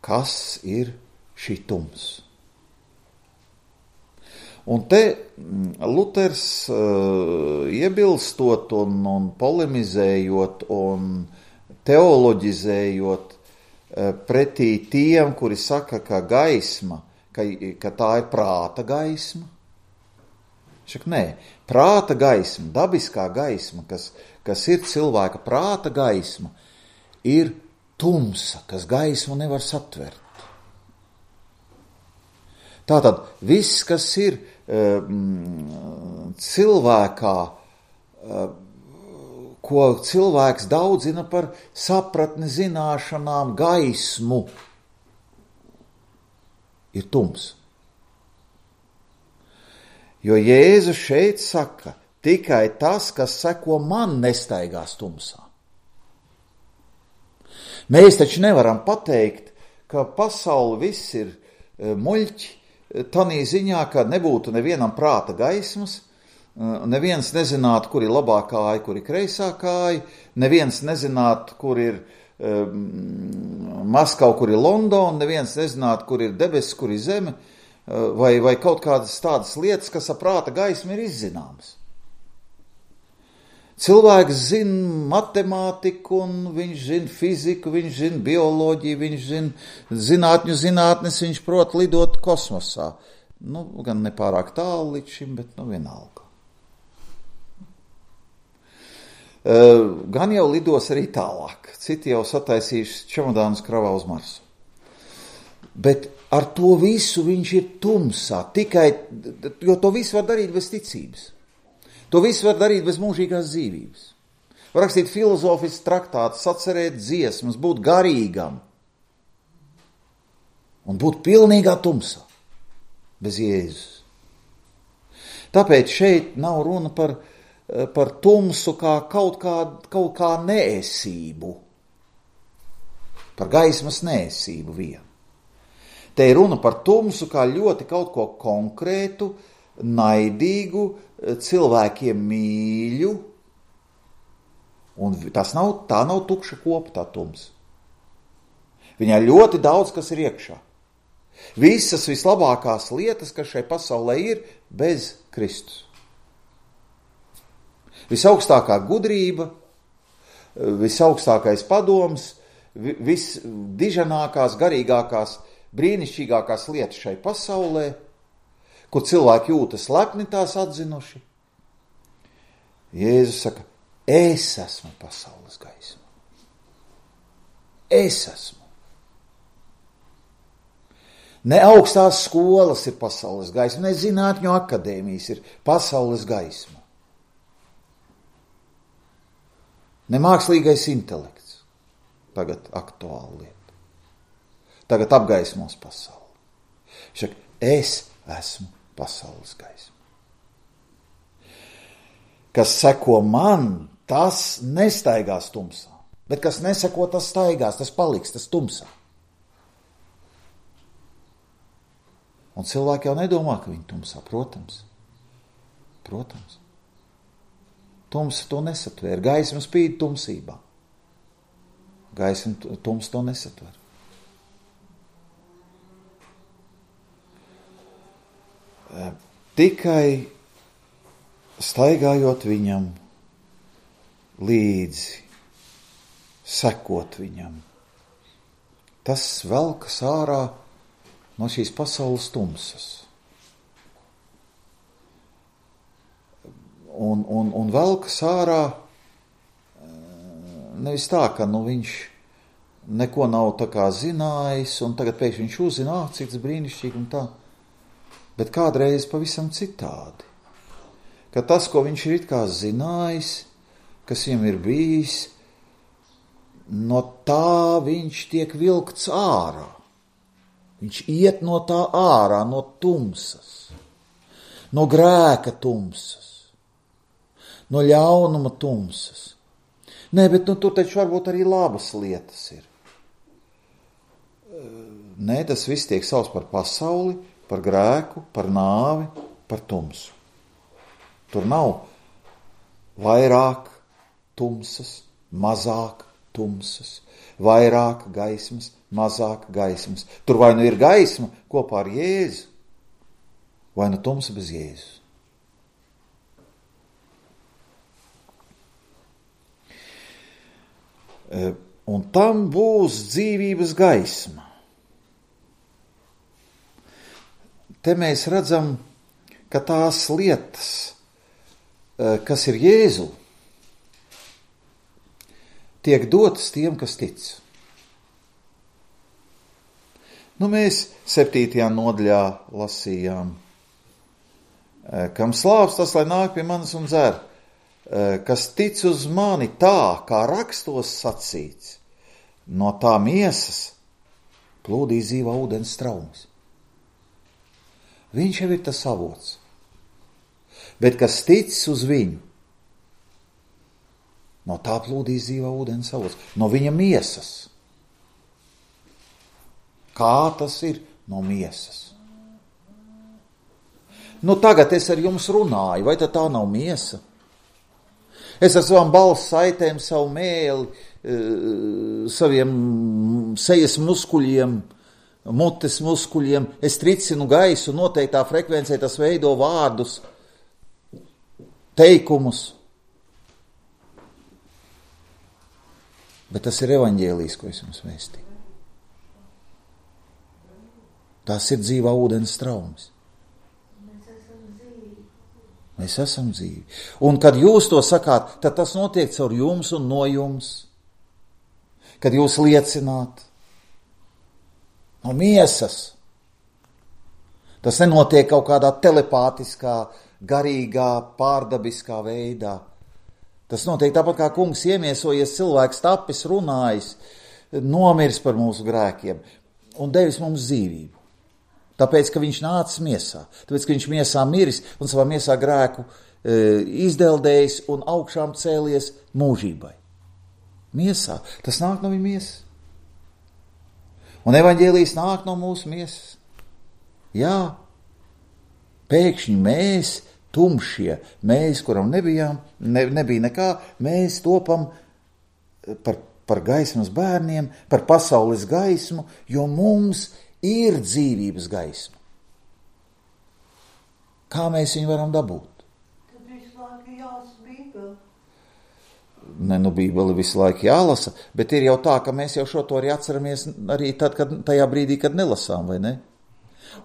Kas ir šī tums? Un te Luters uh, iebilstot un, un polemizējot un teoloģizējot uh, pretī tiem, kuri saka, ka gaisma, ka, ka tā ir prāta gaisma. Šak, nē, prāta gaisma, dabiskā gaisma, kas, kas ir cilvēka prāta gaisma, ir tumsa, kas gaismu nevar satvert. Tātad viss, kas ir um, cilvēkā, um, ko cilvēks daudzina par sapratni, zināšanām, gaismu, ir tums. Jo Jēzus šeit saka, tikai tas, kas seko man, nestaigās tumsā. Mēs taču nevaram pateikt, ka pasauli viss ir muļķi, tanī ziņā, ka nebūtu nevienam prāta gaismas, neviens nezinātu, kur ir labā kāja, kur ir kreisā kāja, neviens nezinātu, kur ir um, Maskava, kur ir Londona, neviens nezinātu, kur ir debesis, kur ir zeme, vai, vai kaut kādas tādas lietas, kas ar prāta gaismu ir izzināmas. Cilvēks zina matemātiku, un viņš zina fiziku, viņš zina bioloģiju, viņš zina zinātņu zinātnes, viņš prot lidot kosmosā. Nu, gan nepārāk tālu līdz šim, bet nu vienalga. Uh, gan jau lidos arī tālāk. Citi jau sataisījuši čemodānus kravā uz Marsu. Bet ar to visu viņš ir tumsā, tikai, jo to visu var darīt bez ticības. To visu var darīt bez mūžīgās dzīvības. Var rakstīt filozofisks traktāts, sacerēt dziesmas, būt garīgam un būt pilnīgā tumsā, bez Jēzus. Tāpēc šeit nav runa par, par tumsu kā kaut kā, kaut kā neesību, par gaismas neesību vien. Te ir runa par tumsu kā ļoti kaut ko konkrētu, naidīgu, cilvēkiem mīļu, un tas nav, tā nav tukša kopa, tā tums. Viņā ļoti daudz, kas ir iekšā. Visas vislabākās lietas, kas šai pasaulē ir, bez Kristus. Visaugstākā gudrība, visaugstākais padoms, visdiženākās, garīgākās, brīnišķīgākās lietas šai pasaulē, kur cilvēki jūtas lepni tās atzinuši. Jēzus saka, es esmu pasaules gaisma. Es esmu. Ne augstās skolas ir pasaules gaisma, ne zinātņu akadēmijas ir pasaules gaisma. Ne mākslīgais intelekts. Tagad aktuāla lieta. Tagad apgaismos pasauli. Viņš saka, es esmu pasaules gaisma. Kas seko man, tas nestaigās tumsā. Bet kas neseko, tas staigās, tas paliks, tas tumsā. Un cilvēki jau nedomā, ka viņi tumsā. Protams. Protams. Tumsa to nesatver. Gaisma spīd tumsībā. Gaisma tums to nesatver. Tikai staigājot viņam līdzi, sekot viņam. Tas velkas ārā no šīs pasaules tumsas. Un, un, un velkas ārā nevis tā, ka nu, viņš neko nav tā kā zinājis, un tagad pēkšņi viņš uzzina, ah, cik tas brīnišķīgi un tā. Bet kādreiz pavisam citādi. Ka tas, ko viņš ir it kā zinājis, kas viņam ir bijis, no tā viņš tiek vilkts ārā. Viņš iet no tā ārā, no tumsas, no grēka tumsas, no ļaunuma tumsas. Nē, bet nu, tur taču varbūt arī labas lietas ir. Nē, tas viss tiek sauc par pasauli, par grēku, par nāvi, par tumsu. Tur nav vairāk tumsas, mazāk tumsas, vairāk gaismas, mazāk gaismas. Tur vai nu ir gaisma kopā ar Jēzu, vai nu tumsa bez Jēzus. Un tam būs dzīvības gaisma. Te mēs redzam, ka tās lietas, kas ir Jēzu, tiek dotas tiem, kas tic. Nu, mēs septītajā nodaļā lasījām, kam slāvs tas, lai nāk pie manis un dzer, kas tic uz mani tā, kā rakstos sacīts, no tā miesas plūdīs dzīvā ūdens straumes. Viņš jau ir tas avots. Bet kas tic uz viņu, no tā plūdīs dzīvā ūdens avots, no viņa miesas. Kā tas ir no miesas? Nu, tagad es ar jums runāju, vai tad tā nav miesa? Es ar savām balss saitēm, savu mēli, saviem sejas muskuļiem, mutes muskuļiem, es tricinu gaisu, noteiktā frekvencē tas veido vārdus, teikumus. Bet tas ir evaņģēlijs, ko es jums vēstīju. Tas ir dzīvā ūdens straumes. Mēs esam dzīvi. Un kad jūs to sakāt, tad tas notiek caur jums un no jums. Kad jūs liecināt no miesas. Tas nenotiek kaut kādā telepātiskā, garīgā, pārdabiskā veidā. Tas notiek tāpat kā kungs iemiesojies, cilvēks tapis, runājis, nomiris par mūsu grēkiem un devis mums dzīvību. Tāpēc, ka viņš nācis miesā, tāpēc, ka viņš miesā miris un savā miesā grēku e, izdeldējis un augšām cēlies mūžībai. Miesā, tas nāk no viņa miesas. Un evaņģēlijs nāk no mūsu miesas. Jā, pēkšņi mēs, tumšie, mēs, kuram nebijām, ne, nebija nekā, mēs topam par, par gaismas bērniem, par pasaules gaismu, jo mums ir dzīvības gaisma. Kā mēs viņu varam dabūt? Tad visu laiku jālasa Bībeli. Ne, nu Bībeli visu laiku jālasa, bet ir jau tā, ka mēs jau šo to arī atceramies arī tad, kad, tajā brīdī, kad nelasām, vai ne?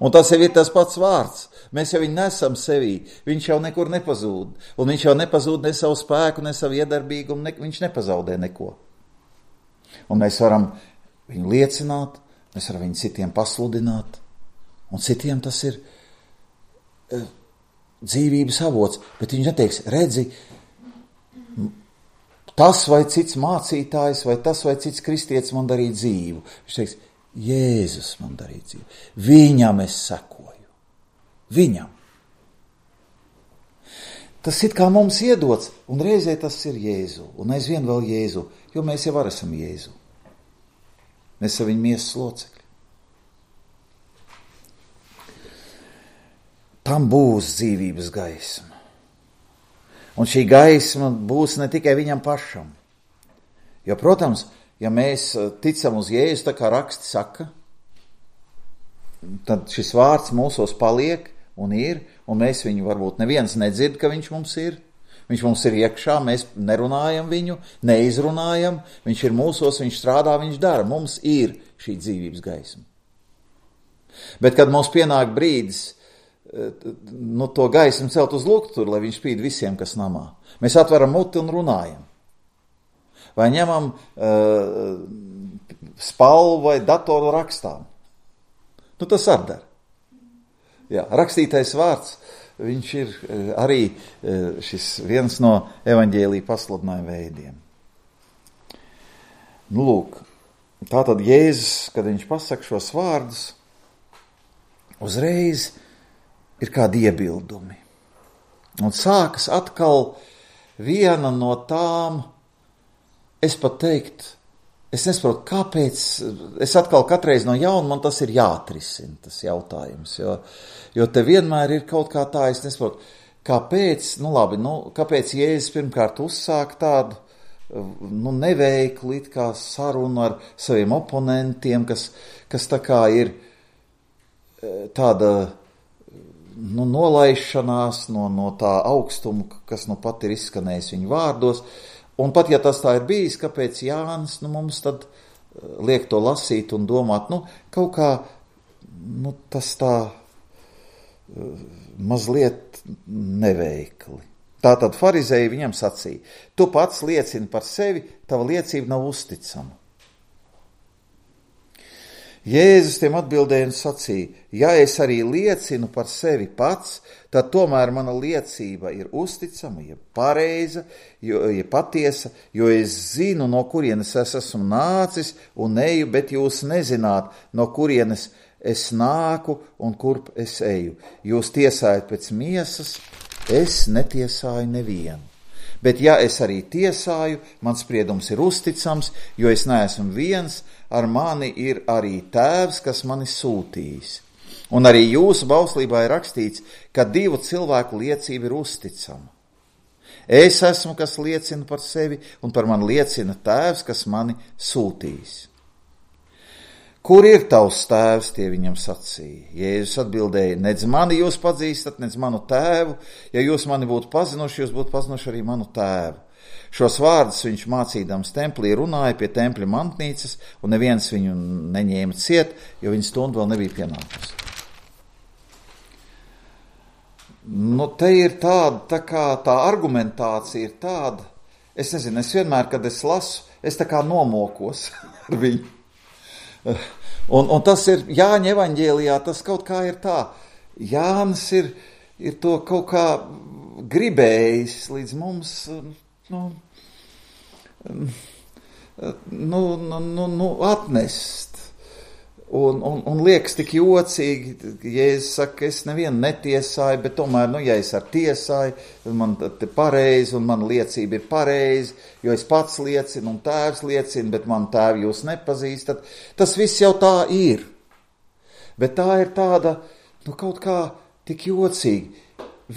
Un tas jau ir tas pats vārds. Mēs jau viņu nesam sevī. Viņš jau nekur nepazūd. Un viņš jau nepazūd ne savu spēku, ne savu iedarbīgumu, ne, viņš nepazaudē neko. Un mēs varam viņu liecināt, mēs varam viņu citiem pasludināt, un citiem tas ir uh, dzīvības avots, bet viņš neteiks, redzi, tas vai cits mācītājs, vai tas vai cits kristietis man darīja dzīvu. Viņš teiks, Jēzus man darīja dzīvu. Viņam es sekoju. Viņam. Tas it kā mums iedots, un reizē tas ir Jēzu, un aizvien vēl Jēzu, jo mēs jau arī esam Jēzu. Mēs esam viņa miesas locekļi. Tam būs dzīvības gaisma. Un šī gaisma būs ne tikai viņam pašam. Jo, protams, ja mēs ticam uz Jēzu, tā kā raksti saka, tad šis vārds mūsos paliek un ir, un mēs viņu varbūt neviens nedzird, ka viņš mums ir. Viņš mums ir iekšā, mēs nerunājam viņu, neizrunājam, viņš ir mūsos, viņš strādā, viņš dara. Mums ir šī dzīvības gaisma. Bet, kad mums pienāk brīdis, nu, to gaismu celt uz lukturi, lai viņš spīd visiem, kas namā, mēs atveram muti un runājam. Vai ņemam uh, spalvu vai datoru rakstām. Nu, tas arī dara. Jā, rakstītais vārds. Viņš ir arī šis viens no evaņģēlija pasludinājuma veidiem. Nu, lūk, tātad Jēzus, kad viņš pasaka šos vārdus, uzreiz ir kādi iebildumi. Un sākas atkal viena no tām, es pat teikt, es nesaprotu, kāpēc, es atkal katreiz no jauna, man tas ir jāatrisina, tas jautājums, jo, jo te vienmēr ir kaut kā tā, es nesaprotu, kāpēc, nu labi, nu, kāpēc Jēzus pirmkārt uzsāk tādu, nu, neveiklu it kā sarunu ar saviem oponentiem, kas, kas tā kā ir tāda, nu, nolaišanās no, no tā augstuma, kas nu pat ir izskanējis viņu vārdos. Un pat, ja tas tā ir bijis, kāpēc Jānis, nu, mums tad liek to lasīt un domāt, nu, kaut kā, nu, tas tā mazliet neveikli. Tātad farizēji viņam sacīja, tu pats liecini par sevi, tava liecība nav uzticama. Jēzus tiem atbildēja un sacīja, ja es arī liecinu par sevi pats, tad tomēr mana liecība ir uzticama, ja pareiza, jo, ja patiesa, jo es zinu, no kurienes es esmu nācis un eju, bet jūs nezināt, no kurienes es nāku un kurp es eju. Jūs tiesājat pēc miesas, es netiesāju nevienu. Bet ja es arī tiesāju, mans spriedums ir uzticams, jo es neesmu viens, ar mani ir arī tēvs, kas mani sūtījis. Un arī jūsu bauslībā ir rakstīts, ka divu cilvēku liecība ir uzticama. Es esmu, kas liecina par sevi, un par mani liecina tēvs, kas mani sūtījis. Kur ir tavs tēvs, tie viņam sacīja? Jēzus atbildēja, nedz mani jūs pazīstat, nedz manu tēvu. Ja jūs mani būtu pazinuši, jūs būtu pazinuši arī manu tēvu. Šos vārdus viņš mācīdams templī runāja pie tempļa mantnīcas, un neviens viņu neņēma ciet, jo viņa stunda vēl nebija pienākusi. Nu, te ir tāda, tā kā tā argumentācija ir tāda, es nezinu, es vienmēr, kad es lasu, es tā kā nomokos ar viņu. Un, un tas ir Jāņa evaņģēlijā, tas kaut kā ir tā. Jānis ir, ir to kaut kā gribējis līdz mums, nu, nu, nu, nu, nu atnest. Un, un, un liekas tik jocīgi, Jēzus saka, es nevienu netiesāju, bet tomēr, nu, ja es ar tiesāju, tad man te pareizi un man liecība ir pareizi, jo es pats liecinu un tēvs liecina, bet man tēvi jūs nepazīstat. Tas viss jau tā ir. Bet tā ir tāda, nu, kaut kā tik jocīgi.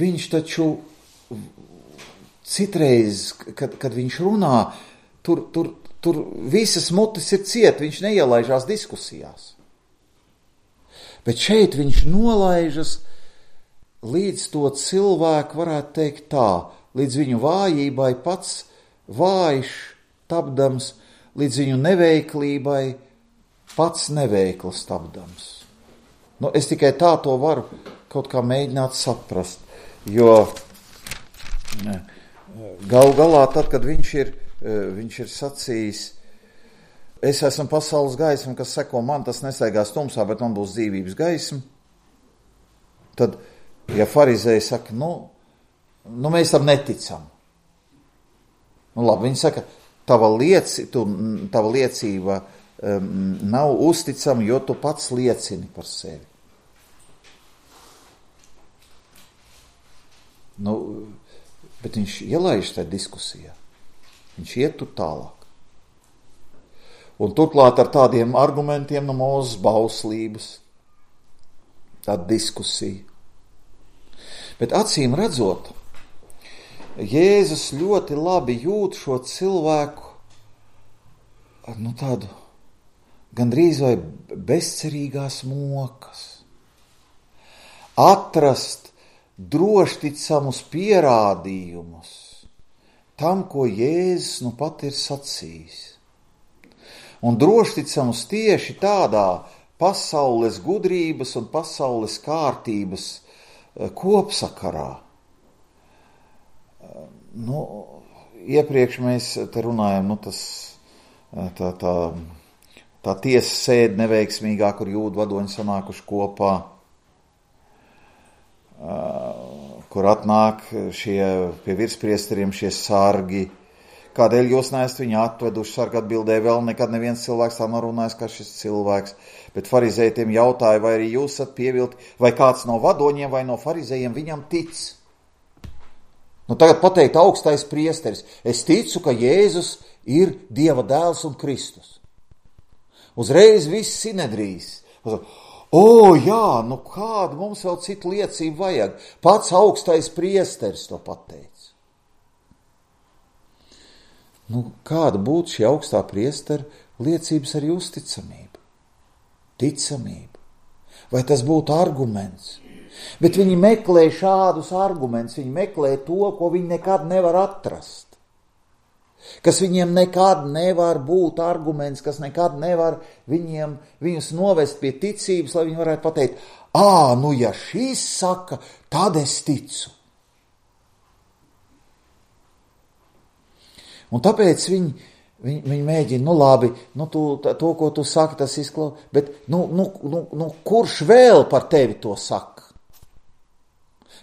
Viņš taču citreiz, kad, kad viņš runā, tur, tur, tur visas mutes ir ciet, viņš neielaižās diskusijās. Bet šeit viņš nolaižas līdz to cilvēku, varētu teikt tā, līdz viņu vājībai pats vājš tapdams, līdz viņu neveiklībai pats neveikls tapdams. Nu, es tikai tā to varu kaut kā mēģināt saprast, jo ne, gal galā tad, kad viņš ir, viņš ir sacījis, es esmu pasaules gaisma, kas seko man, tas nesaigās tumsā, bet man būs dzīvības gaisma. Tad, ja farizēji saka, nu, nu mēs tam neticam. Nu, labi, viņi saka, tava, lieci, tu, tava liecība um, nav uzticama, jo tu pats liecini par sevi. Nu, bet viņš ielaiž tajā diskusijā. Viņš iet tur tālāk. Un turklāt ar tādiem argumentiem no Mūzes bauslības, tāda diskusija. Bet acīm redzot, Jēzus ļoti labi jūt šo cilvēku ar nu tādu gandrīz vai bezcerīgās mokas. Atrast drošticamus pierādījumus tam, ko Jēzus nu pat ir sacījis. Un drošticamus tieši tādā pasaules gudrības un pasaules kārtības kopsakarā. Nu, iepriekš mēs te runājam, nu tas, tā, tā, tā tiesa sēde neveiksmīgā, kur jūdu vadoņi sanākuši kopā, kur atnāk šie pie virspriesteriem šie sargi. Kādēļ jūs neesat viņu atveduši? Sargi atbildēja, vēl nekad neviens cilvēks tā nav runājis kā šis cilvēks. Bet farizējiem jautāja, vai arī jūs esat pievilti, vai kāds no vadoņiem vai no farizējiem viņam tic. Nu tagad pateikt augstais priesteris, es ticu, ka Jēzus ir Dieva dēls un Kristus. Uzreiz viss sinedrīs. O, jā, nu kādu mums vēl citu liecību vajag? Pats augstais priesteris to pateica. Nu, kāda būtu šī augstā priestera liecības ar jūsu ticamību? Ticamību. Vai tas būtu arguments? Bet viņi meklē šādus argumentus, viņi meklē to, ko viņi nekad nevar atrast. Kas viņiem nekad nevar būt arguments, kas nekad nevar viņiem, viņus novest pie ticības, lai viņi varētu pateikt, ā, nu ja šis saka, tad es ticu. Un tāpēc viņi, viņi, viņi mēģina, nu labi, nu tu, to, ko tu saki, tas izklau, bet nu, nu, nu, nu, kurš vēl par tevi to saka?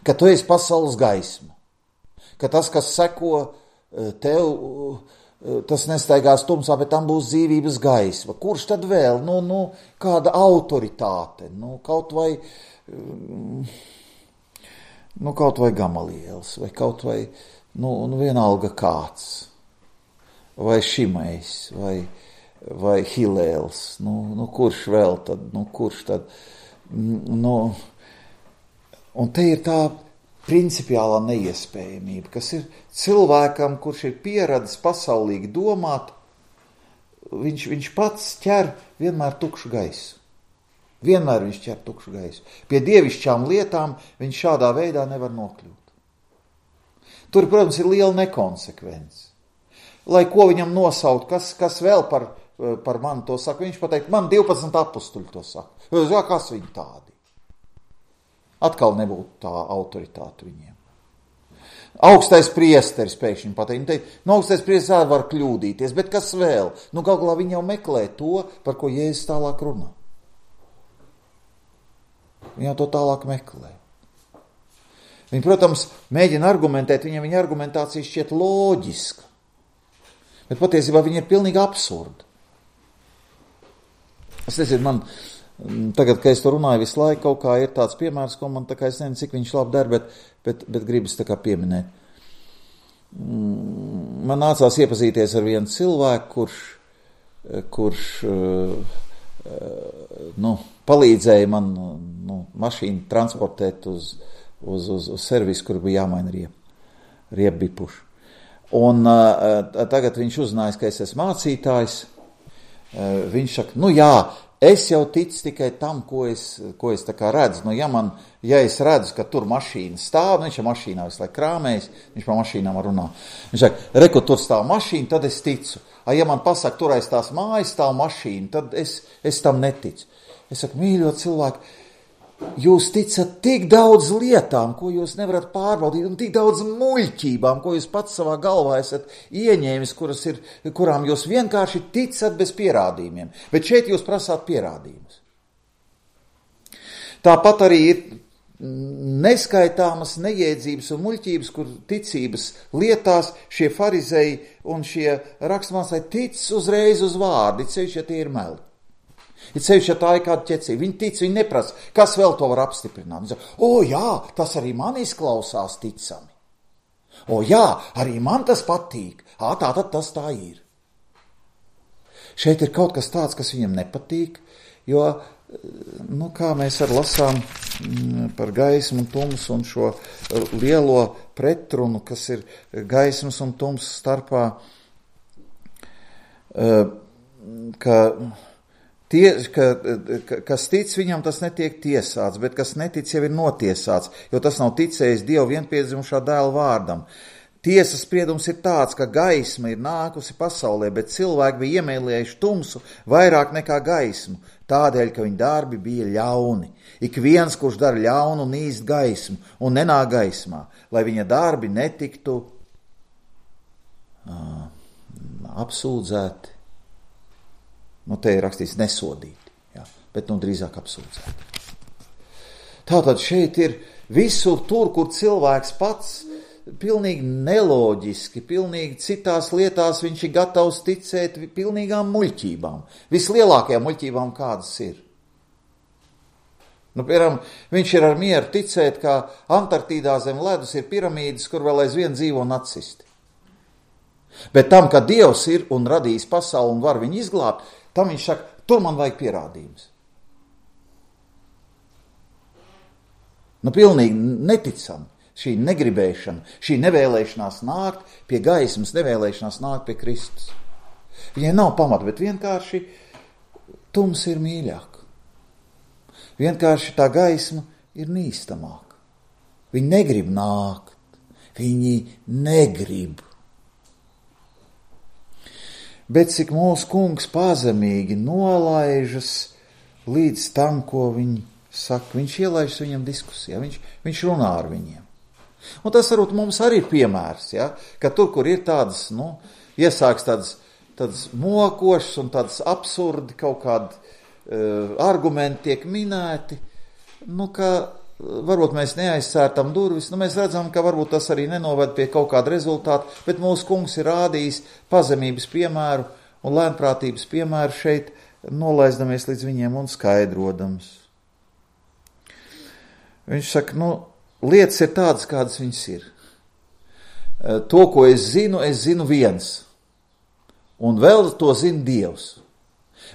Ka tu esi pasaules gaisma, ka tas, kas seko tev, tas nestaigās tumsā, bet tam būs dzīvības gaisma. Kurš tad vēl? Nu, nu, kāda autoritāte, nu, kaut vai, nu, kaut vai Gamalielis, vai kaut vai, nu, nu vienalga kāds, vai Šimejs, vai, vai Hilēls, nu, nu, kurš vēl tad, nu, kurš tad, nu, un te ir tā principiālā neiespējamība, kas ir cilvēkam, kurš ir pieradis pasaulīgi domāt, viņš, viņš pats ķer vienmēr tukšu gaisu. Vienmēr viņš ķer tukšu gaisu. Pie dievišķām lietām viņš šādā veidā nevar nokļūt. Tur, protams, ir liela nekonsekvence. Lai ko viņam nosaukt, kas, kas vēl par, par mani to saka, viņš pateikt, man divpadsmit apustuļi to saka. Jā, kas viņi tādi? Atkal nebūtu tā autoritāte viņiem. Augstais priesteris pēkšņi pateikt, nu augstais priesteris var kļūdīties, bet kas vēl? Nu gal galā viņi jau meklē to, par ko Jēzus tālāk runā. Viņi jau to tālāk meklē. Viņi, protams, mēģina argumentēt, viņiem viņa argumentācija šķiet loģiska, bet patiesībā viņa ir pilnīgi absurda. Es nezinu, man tagad, kad es to runāju visu laiku, kaut kā ir tāds piemērs, ko man tā kā es nezinu, cik viņš labi der, bet, bet, bet gribas tā kā pieminēt. Man nācās iepazīties ar vienu cilvēku, kurš, kurš nu, palīdzēja man nu, mašīnu transportēt uz, uz, uz, uz servisu, kur bija jāmaina riep, riepbipuši. Un tagad viņš uzzinājis, ka es esmu mācītājs. Viņš saka, nu jā, es jau ticu tikai tam, ko es, ko es tā kā redzu. Nu, ja, man, ja es redzu, ka tur mašīna stāv, nu, viņš ir mašīnā visu laiku krāmējis, viņš pa mašīnām runā. Viņš saka, reku, tur stāv mašīna, tad es ticu. A, ja man pasaka, tur aiz tās mājas stāv mašīna, tad es, es tam neticu. Es saku, mīļo cilvēku, jūs ticat tik daudz lietām, ko jūs nevarat pārbaudīt, un tik daudz muļķībām, ko jūs pats savā galvā esat ieņēmis, kuras ir, kurām jūs vienkārši ticat bez pierādījumiem. Bet šeit jūs prasāt pierādījumus. Tāpat arī ir neskaitāmas nejēdzības un muļķības, kur ticības lietās šie farizēji un šie rakstmācēji tic uzreiz uz vārdi, ceļš, ja tie ir meli. Ir sevišķi, ja tā ir kāda ķecība. Viņi tic, viņi neprasa, kas vēl to var apstiprināt. Viņi saka, o jā, tas arī man izklausās ticami. O jā, arī man tas patīk. Ā, tā tad tas tā ir. Šeit ir kaut kas tāds, kas viņam nepatīk, jo, nu, kā mēs ar lasām par gaismu un tumsu un šo lielo pretrunu, kas ir gaismas un tumsas starpā, ka Tie, ka, kas tic, viņam tas netiek tiesāts, bet kas netic, jau ir notiesāts, jo tas nav ticējis Dieva vienpiedzimušā dēla vārdam. Tiesas spriedums ir tāds, ka gaisma ir nākusi pasaulē, bet cilvēki bija iemīlējuši tumsu vairāk nekā gaismu, tādēļ, ka viņa darbi bija ļauni. Ik viens, kurš dara ļaunu, nīst gaismu un nenāk gaismā, lai viņa darbi netiktu uh, apsūdzēti. Nu, te ir rakstīts nesodīti, jā, bet nu drīzāk apsūdzēti. Tātad šeit ir visur tur, kur cilvēks pats pilnīgi neloģiski, pilnīgi citās lietās viņš ir gatavs ticēt pilnīgām muļķībām. Vislielākajām muļķībām kādas ir. Nu, piemēram, viņš ir ar mieru ticēt, ka Antarktīdā zem ledus ir piramīdas, kur vēl aizvien dzīvo nacisti. Bet tam, ka Dievs ir un radījis pasauli un var viņu izglābt, tam viņš saka, tur man vajag pierādījums. Nu, pilnīgi neticami. Šī negribēšana, šī nevēlēšanās nākt pie gaismas, nevēlēšanās nākt pie Kristus. Viņai nav pamata, bet vienkārši tums ir mīļāk. Vienkārši tā gaisma ir nīstamāka. Viņi negrib nākt. Viņi negrib. Bet cik mūsu kungs pazemīgi nolaižas līdz tam, ko viņi saka, viņš ielaižas viņam diskusijā, viņš, viņš runā ar viņiem. Un tas varbūt mums arī ir piemērs, ja? Ka tur, kur ir tādas, nu, iesāks tādas, tādas mokošas un tādas absurdi kaut kādi uh, argumenti tiek minēti, nu, ka varbūt mēs neaizsērtam durvis, nu, mēs redzam, ka varbūt tas arī nenoved pie kaut kāda rezultāta, bet mūsu kungs ir rādījis pazemības piemēru un lēnprātības piemēru šeit, nolaizdamies līdz viņiem un skaidrodams. Viņš saka, nu, lietas ir tādas, kādas viņas ir. To, ko es zinu, es zinu viens. Un vēl to zina Dievs.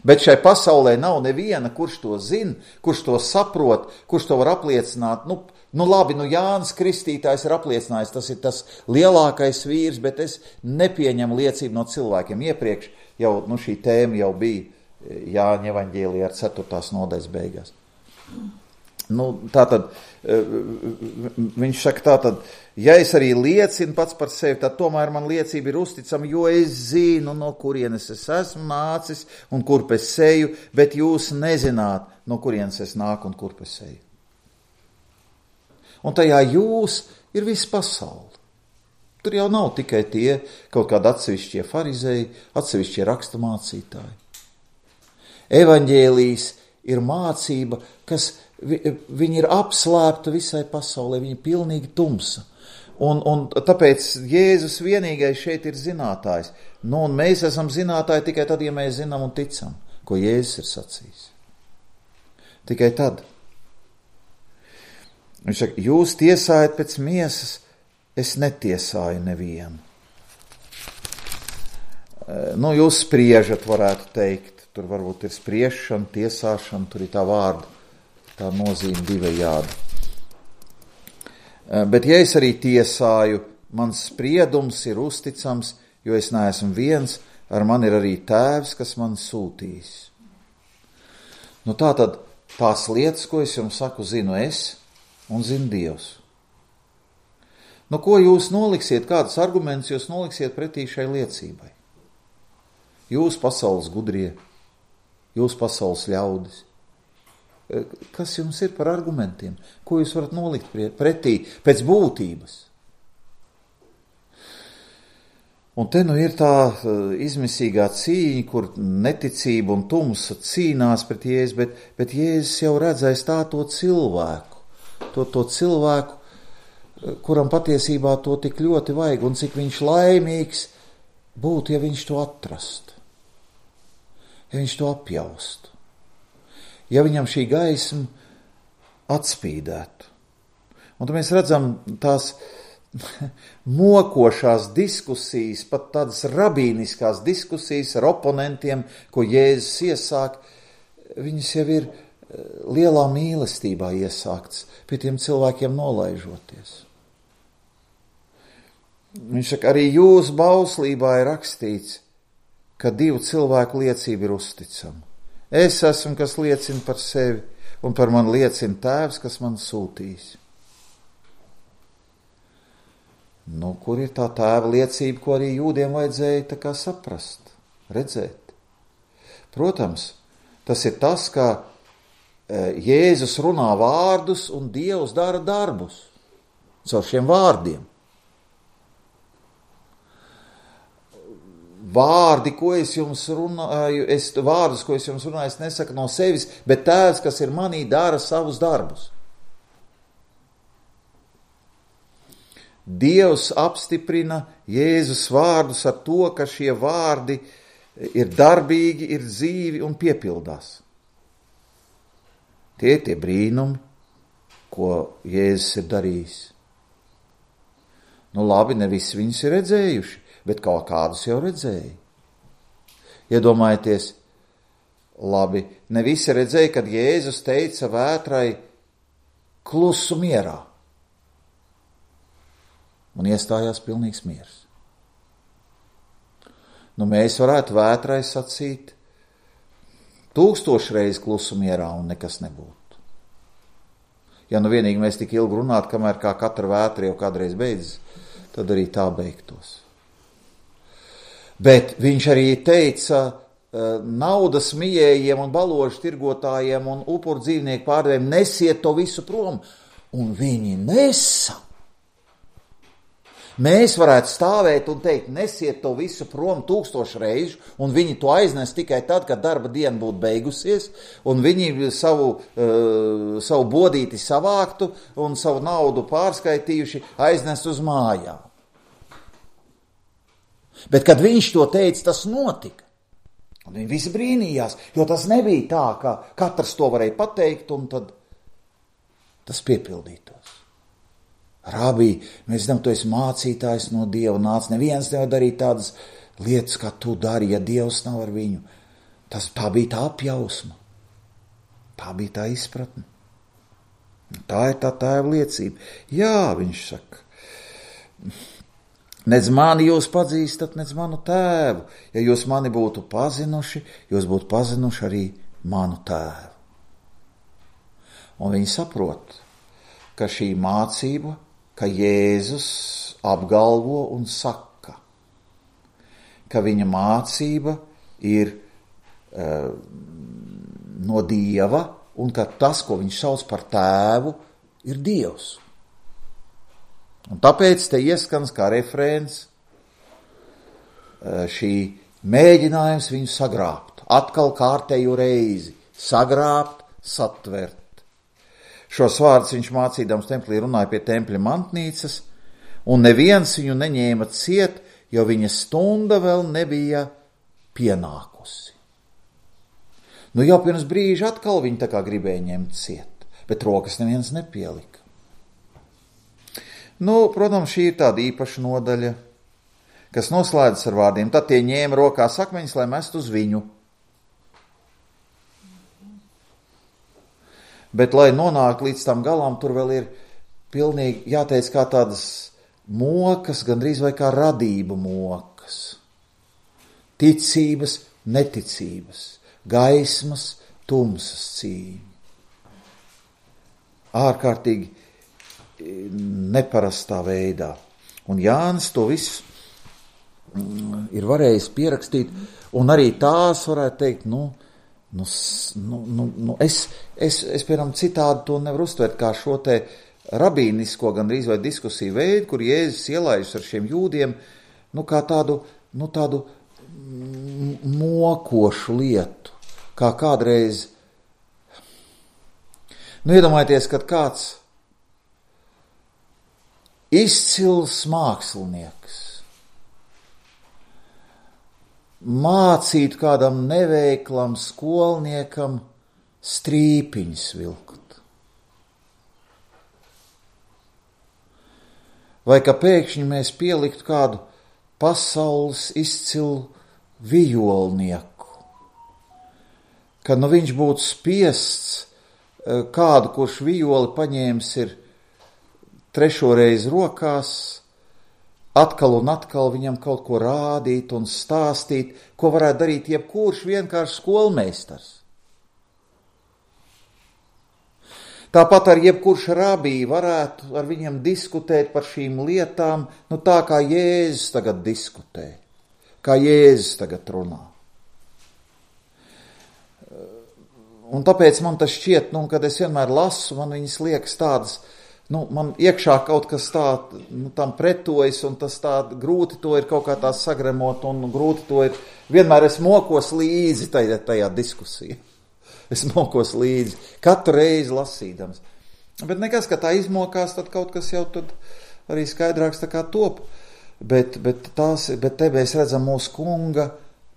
Bet šai pasaulē nav neviena, kurš to zina, kurš to saprot, kurš to var apliecināt. Nu, nu labi, nu Jānis Kristītājs ir apliecinājis, tas ir tas lielākais vīrs, bet es nepieņemu liecību no cilvēkiem. Iepriekš jau, nu, šī tēma jau bija Jāņa evaņģēlijā ar ceturtās nodaļas beigās. Nu, tātad, viņš saka tātad, ja es arī liecinu pats par sevi, tad tomēr man liecība ir uzticama, jo es zinu, no kurienes es esmu nācis un kurp es eju, bet jūs nezināt, no kurienes es nāku un kurp es eju. Un tajā jūs ir viss pasauli. Tur jau nav tikai tie kaut kādi atsevišķie farizēji, atsevišķie rakstamācītāji. Evaņģēlijs ir mācība, kas viņi ir apslēpta visai pasaulē, viņi ir pilnīgi tumsa. Un, un tāpēc Jēzus vienīgais šeit ir zinātājs. Nu, un mēs esam zinātāji tikai tad, ja mēs zinām un ticam, ko Jēzus ir sacījis. Tikai tad. Viņš saka, jūs tiesājat pēc miesas, es netiesāju nevienu. Nu, jūs spriežat, varētu teikt. Tur varbūt ir spriešana, tiesāšana, tur ir tā vārda. Tā nozīme divējādi. Bet ja es arī tiesāju, mans spriedums ir uzticams, jo es neesmu viens, ar mani ir arī tēvs, kas man sūtīs. Nu tā tad tās lietas, ko es jums saku, zinu es un zinu Dievs. Nu ko jūs noliksiet, kādas argumentus jūs noliksiet pretī šai liecībai? Jūs pasaules gudrie, jūs pasaules ļaudis. Kas jums ir par argumentiem? Ko jūs varat nolikt pretī pēc būtības? Un te nu ir tā izmisīgā cīņa, kur neticība un tumsa cīnās pret Jēzu, bet, bet Jēzus jau redzēs tā to cilvēku, to, to cilvēku, kuram patiesībā to tik ļoti vajag, un cik viņš laimīgs būtu, ja viņš to atrastu, ja viņš to apjaustu. Ja viņam šī gaisma atspīdētu. Un tad mēs redzam tās mokošās diskusijas, pat tādas rabīniskās diskusijas ar oponentiem, ko Jēzus iesāk, viņas jau ir lielā mīlestībā iesāktas, pie tiem cilvēkiem nolaižoties. Viņš saka, arī jūsu bauslībā ir rakstīts, ka divu cilvēku liecība ir uzticama. Es esmu, kas liecina par sevi, un par mani liecina Tēvs, kas man sūtīs. Nu, kur ir tā Tēva liecība, ko arī jūdiem vajadzēja tā kā saprast, redzēt? Protams, tas ir tas, ka Jēzus runā vārdus un Dievs dara darbus caur šiem vārdiem. Vārdi, ko es jums runāju, es, vārdus, ko es jums runāju, es nesaku no sevis, bet Tēvs, kas ir manī, dara savus darbus. Dievs apstiprina Jēzus vārdus ar to, ka šie vārdi ir darbīgi, ir dzīvi un piepildās. Tie ir tie brīnumi, ko Jēzus ir darījis. Nu labi, ne visi viņus ir redzējuši, bet kaut kādus jau redzēja. Iedomājieties, labi, ne visi redzēja, kad Jēzus teica vētrai klusu mierā. Un iestājās pilnīgs miers. Nu, mēs varētu vētrai sacīt tūkstošreiz klusu mierā un nekas nebūtu. Ja nu vienīgi mēs tik ilgi runātu, kamēr kā katra vētra jau kādreiz beidzas, tad arī tā beigtos. Bet viņš arī teica naudas mijējiem un baložu tirgotājiem un upuru dzīvnieku pārdevējiem, nesiet to visu prom, un viņi nesa. Mēs varētu stāvēt un teikt, nesiet to visu prom tūkstošu reižu, un viņi to aiznes tikai tad, kad darba diena būtu beigusies, un viņi savu, uh, savu bodīti savāktu un savu naudu pārskaitījuši aiznest uz mājām. Bet, kad viņš to teica, tas notika. Un viņi visi brīnījās, jo tas nebija tā, ka katrs to varēja pateikt, un tad tas piepildītos. Rabī, mēs zinām, tu esi mācītājs no Dieva, nāc, neviens nevar darīt tādas lietas, kā tu dari, ja Dievs nav ar viņu. Tas, tā bija tā apjausma, tā bija tā izpratne. Tā ir tā Tēva liecība. Jā, viņš saka, nedz mani jūs pazīstat, nedz manu Tēvu. Ja jūs mani būtu pazinuši, jūs būtu pazinuši arī manu Tēvu. Un viņi saprot, ka šī mācība, ka Jēzus apgalvo un saka, ka viņa mācība ir uh, no Dieva un ka tas, ko viņš sauc par Tēvu, ir Dievs. Un tāpēc te ieskans kā refrēns uh, šī mēģinājums viņu sagrābt, atkal kārtēju reizi, sagrābt, satvert. Šos vārdus viņš mācīdams templī runāja pie tempļa mantnīcas, un neviens viņu neņēma ciet, jo viņa stunda vēl nebija pienākusi. Nu jau pirms brīža atkal viņi tā kā gribēja ņemt ciet, bet rokas neviens nepielika. Nu, protams, šī ir tāda īpaša nodaļa, kas noslēdzas ar vārdiem. Tad tie ņēma rokās akmeņus, lai mest uz viņu. Bet, lai nonāktu līdz tam galam, tur vēl ir pilnīgi, jāteic, kā tādas mokas, gandrīz vai kā radība mokas. Ticības, neticības, gaismas, tumsas cīņa. Ārkārtīgi neparastā veidā. Un Jānis to visu ir varējis pierakstīt, un arī tās varētu teikt, nu, Nu, nu, nu, nu, es, es, es, piemēram, citādi to nevaru uztvert kā šo te rabīnisko gandrīz vai diskusiju veidu, kur Jēzus ielaižas ar šiem jūdiem, nu, kā tādu, nu, tādu mokošu lietu, kā kādreiz, nu, iedomājieties, kad kāds izcils mākslinieks mācīt kādam neveiklam skolniekam strīpiņas vilkt. Vai ka pēkšņi mēs pieliktu kādu pasaules izcilu vijolnieku, ka nu viņš būtu spiests kādu, kurš vijoli paņēmis ir trešo reizi rokās, atkal un atkal viņam kaut ko rādīt un stāstīt, ko varētu darīt jebkurš vienkārši skolmeistars. Tāpat ar jebkurš rabī varētu ar viņiem diskutēt par šīm lietām, nu tā kā Jēzus tagad diskutē, kā Jēzus tagad runā. Un tāpēc man tas šķiet, nu, kad es vienmēr lasu, man viņas liekas tādas, nu, man iekšā kaut kas tā, nu, tam pretojas, un tas tā grūti to ir kaut kā tā sagremot, un grūti to ir, vienmēr es mokos līdzi tajā, tajā diskusijā. Es mokos līdzi, katru reizi lasīdams. Bet nekas, ka tā izmokās, tad kaut kas jau tad arī skaidrāks tā kā top. Bet, bet, tās, bet te mēs redzam mūsu kunga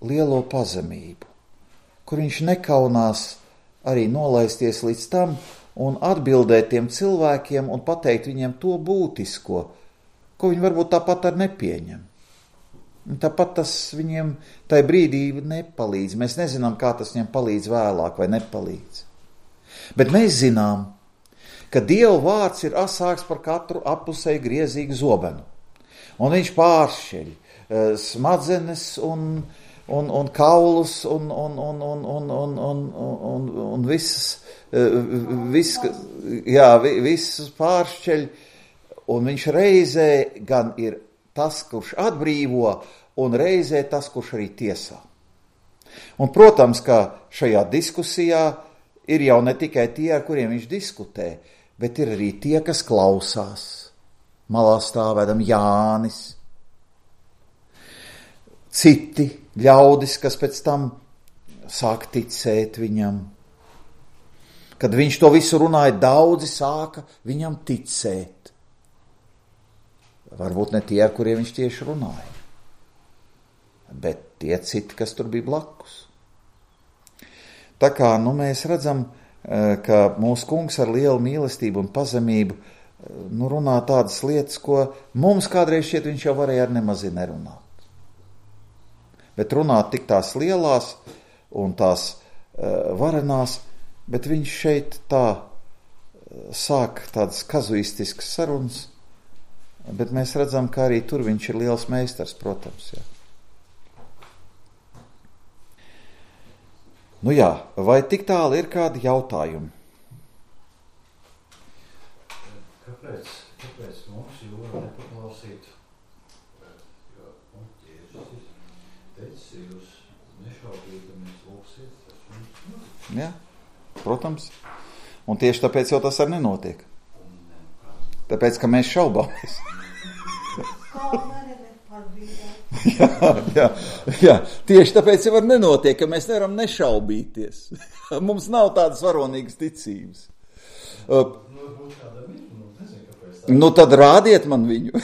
lielo pazemību, kur viņš nekaunās arī nolaisties līdz tam un atbildēt tiem cilvēkiem un pateikt viņiem to būtisko, ko viņi varbūt tāpat ar nepieņem. Un tāpat tas viņiem tajā brīdī nepalīdz. Mēs nezinām, kā tas viņiem palīdz vēlāk vai nepalīdz. Bet mēs zinām, ka Dieva vārds ir asāks par katru apusēju griezīgu zobenu. Un viņš pāršķeļ uh, smadzenes un, un, un kaulus un, un, un, un, un, un, un, un, un visas, uh, vis, jā, visas pāršķeļ. Un viņš reizē gan ir tas, kurš atbrīvo, un reizē tas, kurš arī tiesā. Un, protams, ka šajā diskusijā ir jau ne tikai tie, ar kuriem viņš diskutē, bet ir arī tie, kas klausās. Malā stāvēdam Jānis, citi ļaudis, kas pēc tam sāk ticēt viņam. Kad viņš to visu runāja, daudzi sāka viņam ticēt. Varbūt ne tie, ar kuriem viņš tieši runāja, bet tie citi, kas tur bija blakus. Tā kā nu, mēs redzam, ka mūsu kungs ar lielu mīlestību un pazemību nu, runā tādas lietas, ko mums kādreiz šķiet viņš jau varēja ar nemazī nerunāt. Bet runāt tik tās lielās un tās uh, varenās, bet viņš šeit tā uh, sāk tādas kazuistiskas sarunas. Bet mēs redzam, ka arī tur viņš ir liels meistars, protams. Jā. Nu jā, vai tik tālu ir kādi jautājumi? Kāpēc, kāpēc mums jūra nepaklausīt? Jo, nu, Jēzus ir teicis, jūs nešaubīdamies lūksiet. Jā, protams. Un tieši tāpēc jau tas arī nenotiek. Tāpēc, ka mēs šaubāmies. jā, jā, jā, tieši tāpēc jau var nenotiek, ka mēs nevaram nešaubīties. Mums nav tādas varonīgas ticības. Uh, nu tad rādiet man viņu.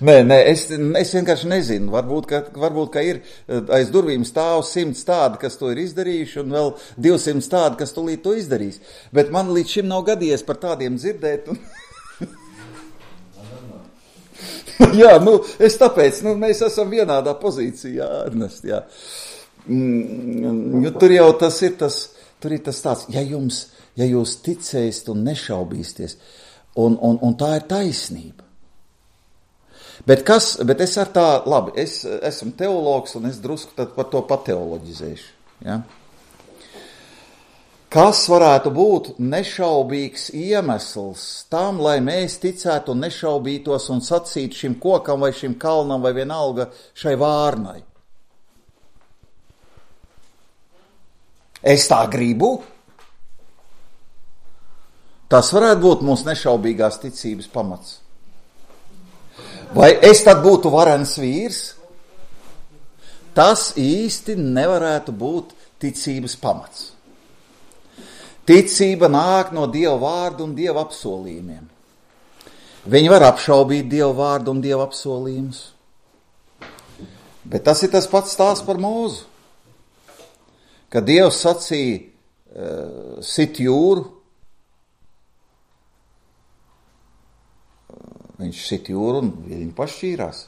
Nē, nē, es, es vienkārši nezinu. Varbūt, ka, varbūt, ka ir aiz durvīm stāv simts tādi, kas to ir izdarījuši, un vēl divsimt tādi, kas tūlīt to izdarīs. Bet man līdz šim nav gadījies par tādiem dzirdēt. Un... jā, nu, es tāpēc, nu, mēs esam vienādā pozīcijā, Ernest, jā. Mm, tur jau tas ir tas, tur ir tas tāds, ja jums, ja jūs ticēsiet un nešaubīsties, un, un, un tā ir taisnība. Bet, kas, bet es ar tā, labi, es esmu teologs un es drusku tad par to pateoloģizēšu. Ja? Kas varētu būt nešaubīgs iemesls tam, lai mēs ticētu un nešaubītos un sacītu šim kokam vai šim kalnam vai vienalga šai vārnai? Es tā gribu. Tas varētu būt mūsu nešaubīgās ticības pamats. Vai es tad būtu varens vīrs? Tas īsti nevarētu būt ticības pamats. Ticība nāk no Dieva vārda un Dieva apsolījumiem. Viņi var apšaubīt Dieva vārdu un Dieva apsolījumus. Bet tas ir tas pats stāsts par Mūzu. Kad Dievs sacīja uh, sit jūru, viņš sit jūru un viņi pašķīrās.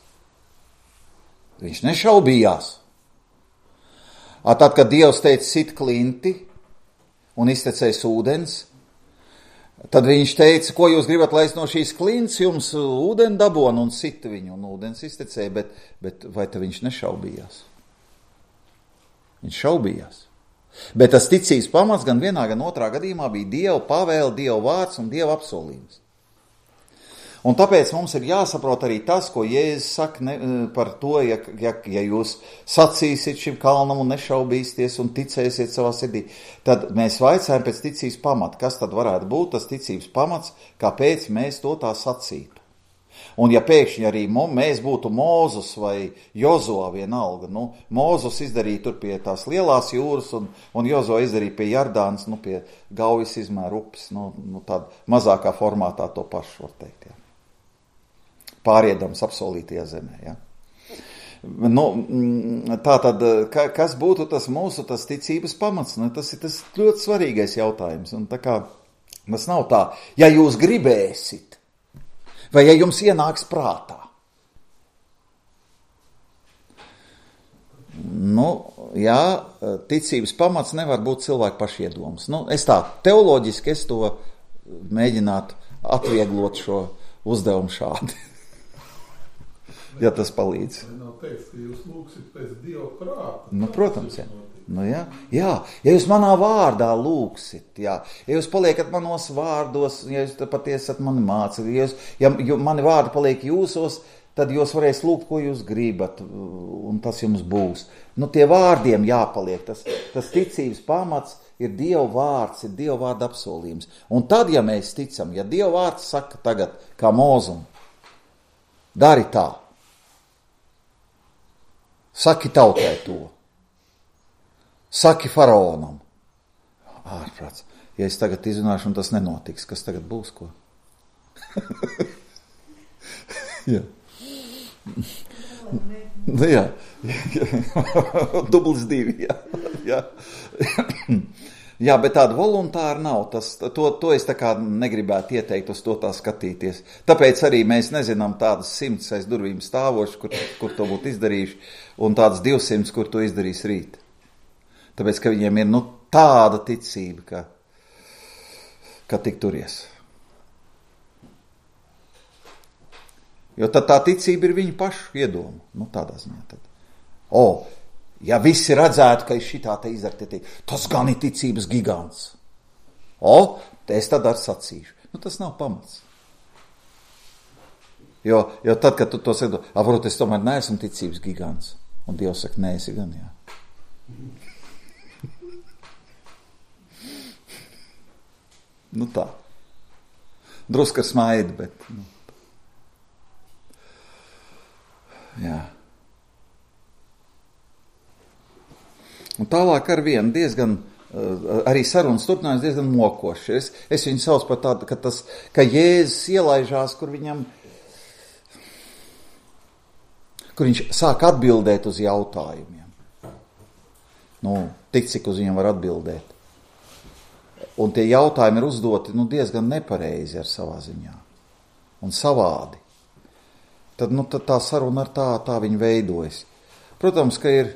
Viņš nešaubījās. A, tad, kad Dievs teica sit klinti un iztecēs ūdens, tad viņš teica, ko jūs gribat, lai es no šīs klints jums ūdeni dabonu, un sita viņu, un ūdens iztecēja, bet, bet vai tad viņš nešaubījās? Viņš šaubījās. Bet tas ticības pamats gan vienā, gan otrā gadījumā bija Dieva pavēle, Dieva vārds un Dieva apsolījums. Un tāpēc mums ir jāsaprot arī tas, ko Jēzus saka ne, par to, ja, ja, ja jūs sacīsiet šim kalnam un nešaubīsieties un ticēsiet savā sirdī, tad mēs vaicājam pēc ticības pamata. Kas tad varētu būt tas ticības pamats, kāpēc mēs to tā sacītu? Un ja pēkšņi arī mēs būtu Mozus vai Jozo vienalga, nu, Mozus izdarīja tur pie tās lielās jūras un, un Jozo izdarīja pie Jardānas, nu, pie Gaujas izmēra upes, nu, nu tāda mazākā formātā to pašu var teikt, jā. Pāriedams apsolītajā zemē, jā. Nu, tā tad, kas būtu tas mūsu, tas ticības pamats? Nu, tas ir tas ļoti svarīgais jautājums. Un tā kā tas nav tā, ja jūs gribēsit, vai ja jums ienāks prātā. Nu, jā, ticības pamats nevar būt cilvēku pašiedoms. Nu, es tā, teoloģiski es to mēģinātu atvieglot šo uzdevumu šādi. Ja tas palīdz. Nav teiks, ka jūs lūgsit pēc Dieva prāta. Nu, protams, jā. Nu, jā. Jā, ja jūs manā vārdā lūgsit, jā. Ja jūs paliekat manos vārdos, ja jūs patiesi esat mani mācīt, ja, jūs, ja mani vārdi paliek jūsos, tad jūs varēs lūgt, ko jūs gribat, un tas jums būs. Nu, tie vārdiem jāpaliek. Tas, tas ticības pamats ir Dieva vārds, ir Dieva vārda apsolījums. Un tad, ja mēs ticam, ja Dieva vārds saka tagad, kā Mozum, dari tā, saki tautai to, saki faraonam, ārprāts, ja es tagad izrunāšu un tas nenotiks, kas tagad būs, ko? Jā. Nu, jā. Dublis divi, jā. Jā. Jā, bet tāda voluntāra nav. Tas, to, to es tā kā negribētu ieteikt uz to tā skatīties. Tāpēc arī mēs nezinām tādas simts aiz durvīm stāvoši, kur, kur to būtu izdarījuši, un tādas divsimts, kur to izdarīs rīt. Tāpēc, ka viņiem ir nu, tāda ticība, ka, ka tik turies. Jo tad tā ticība ir viņu pašu iedoma. Nu, tādā ziņā tad. O, ja visi redzētu, ka es šitā te izdarīju, tas gan ir ticības gigants. O, es tad ar sacīšu. Nu, tas nav pamats. Jo, jo tad, kad tu to saki, varbūt es tomēr neesmu ticības gigants. Un Dievs saka, nē, esi gan, jā. Nu tā. Druska smaida, bet... Nu. Jā. Un tālāk ar vienu diezgan, arī sarunas turpinājums diezgan mokoši. Es, es viņu sauc par tādu, ka, tas, ka Jēzus ielaižās, kur viņam, kur viņš sāk atbildēt uz jautājumiem. Nu, tik cik uz viņiem var atbildēt. Un tie jautājumi ir uzdoti nu, diezgan nepareizi ar savā ziņā. Un savādi. Tad, nu, tad tā saruna ar tā, tā viņa veidojas. Protams, ka ir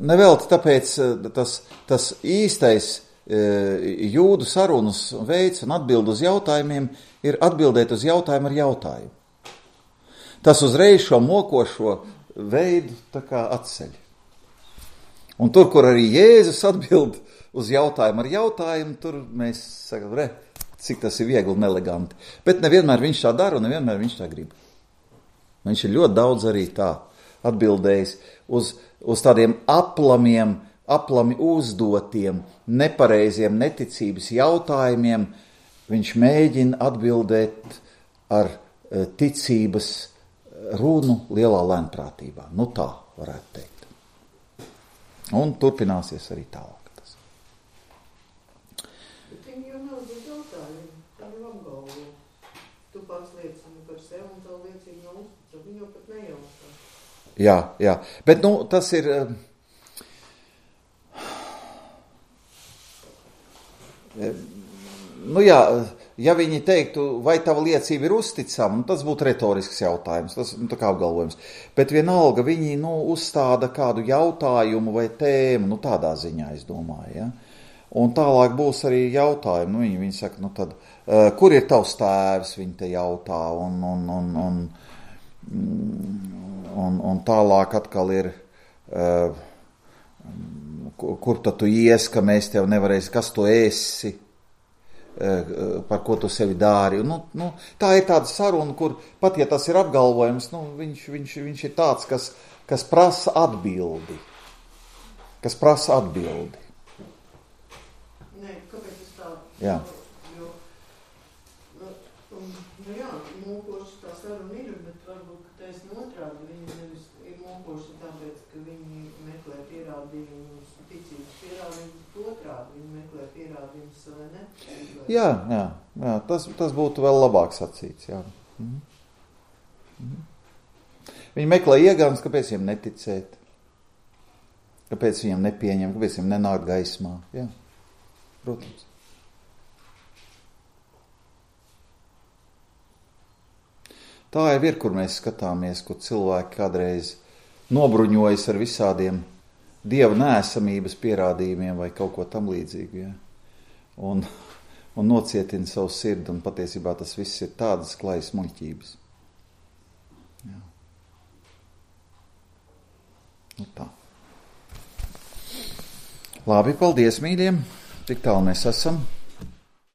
nevelti tāpēc tas, tas īstais jūdu sarunas veids un atbild uz jautājumiem ir atbildēt uz jautājumu ar jautājumu. Tas uzreiz šo mokošo veidu tā kā atceļ. Un tur, kur arī Jēzus atbild uz jautājumu ar jautājumu, tur mēs sakam, re, cik tas ir viegli un eleganti. Bet nevienmēr viņš tā dara un nevienmēr viņš tā grib. Viņš ir ļoti daudz arī tā atbildējis uz, uz tādiem aplamiem, aplami uzdotiem, nepareiziem neticības jautājumiem. Viņš mēģina atbildēt ar ticības runu lielā lēnprātībā. Nu tā varētu teikt. Un turpināsies arī tālāk. Jā, jā, bet nu tas ir, nu jā, ja viņi teiktu, vai tava liecība ir uzticama, nu tas būtu retorisks jautājums, tas nu, tā kā apgalvojums, bet vienalga viņi, nu, uzstāda kādu jautājumu vai tēmu, nu tādā ziņā es domāju, ja, un tālāk būs arī jautājumi, nu viņi, viņi saka, nu tad, uh, kur ir tavs tēvs, viņi te jautā, un, un, un, un, mm, Un, un tālāk atkal ir, uh, kur, kur tad tu ies, ka mēs tev nevarēsim, kas tu esi, par ko tu sevi dari. Nu, nu, tā ir tāda saruna, kur pat ja tas ir apgalvojums, nu, viņš, viņš, viņš ir tāds, kas, kas prasa atbildi. Kas prasa atbildi. Nē, kāpēc es tā? Jā. Jo, nu, nu jā, mūkoši tā saruna ir, bet varbūt, ka taisn otrādi, viņi nevis ir mūkoši tāpēc, ka viņi meklē pierādījumus, ticības pierādījumus, otrādi viņi meklē pierādījumus, vai ne? Jā, jā, jā tas, tas būtu vēl labāk sacīts, jā. Mhm. Mhm. Viņi meklē iegāns, kāpēc viņiem neticēt, kāpēc viņiem nepieņem, kāpēc viņiem nenāk gaismā, jā, protams. Tā jau ir, kur mēs skatāmies, kur cilvēki kādreiz nobruņojas ar visādiem dieva neesamības pierādījumiem vai kaut ko tam līdzīgu, ja? un, un nocietina savu sirdi, un patiesībā tas viss ir tādas klajas muļķības. Jā. Nu tā. Labi, paldies, mīļiem, tik tālu mēs esam.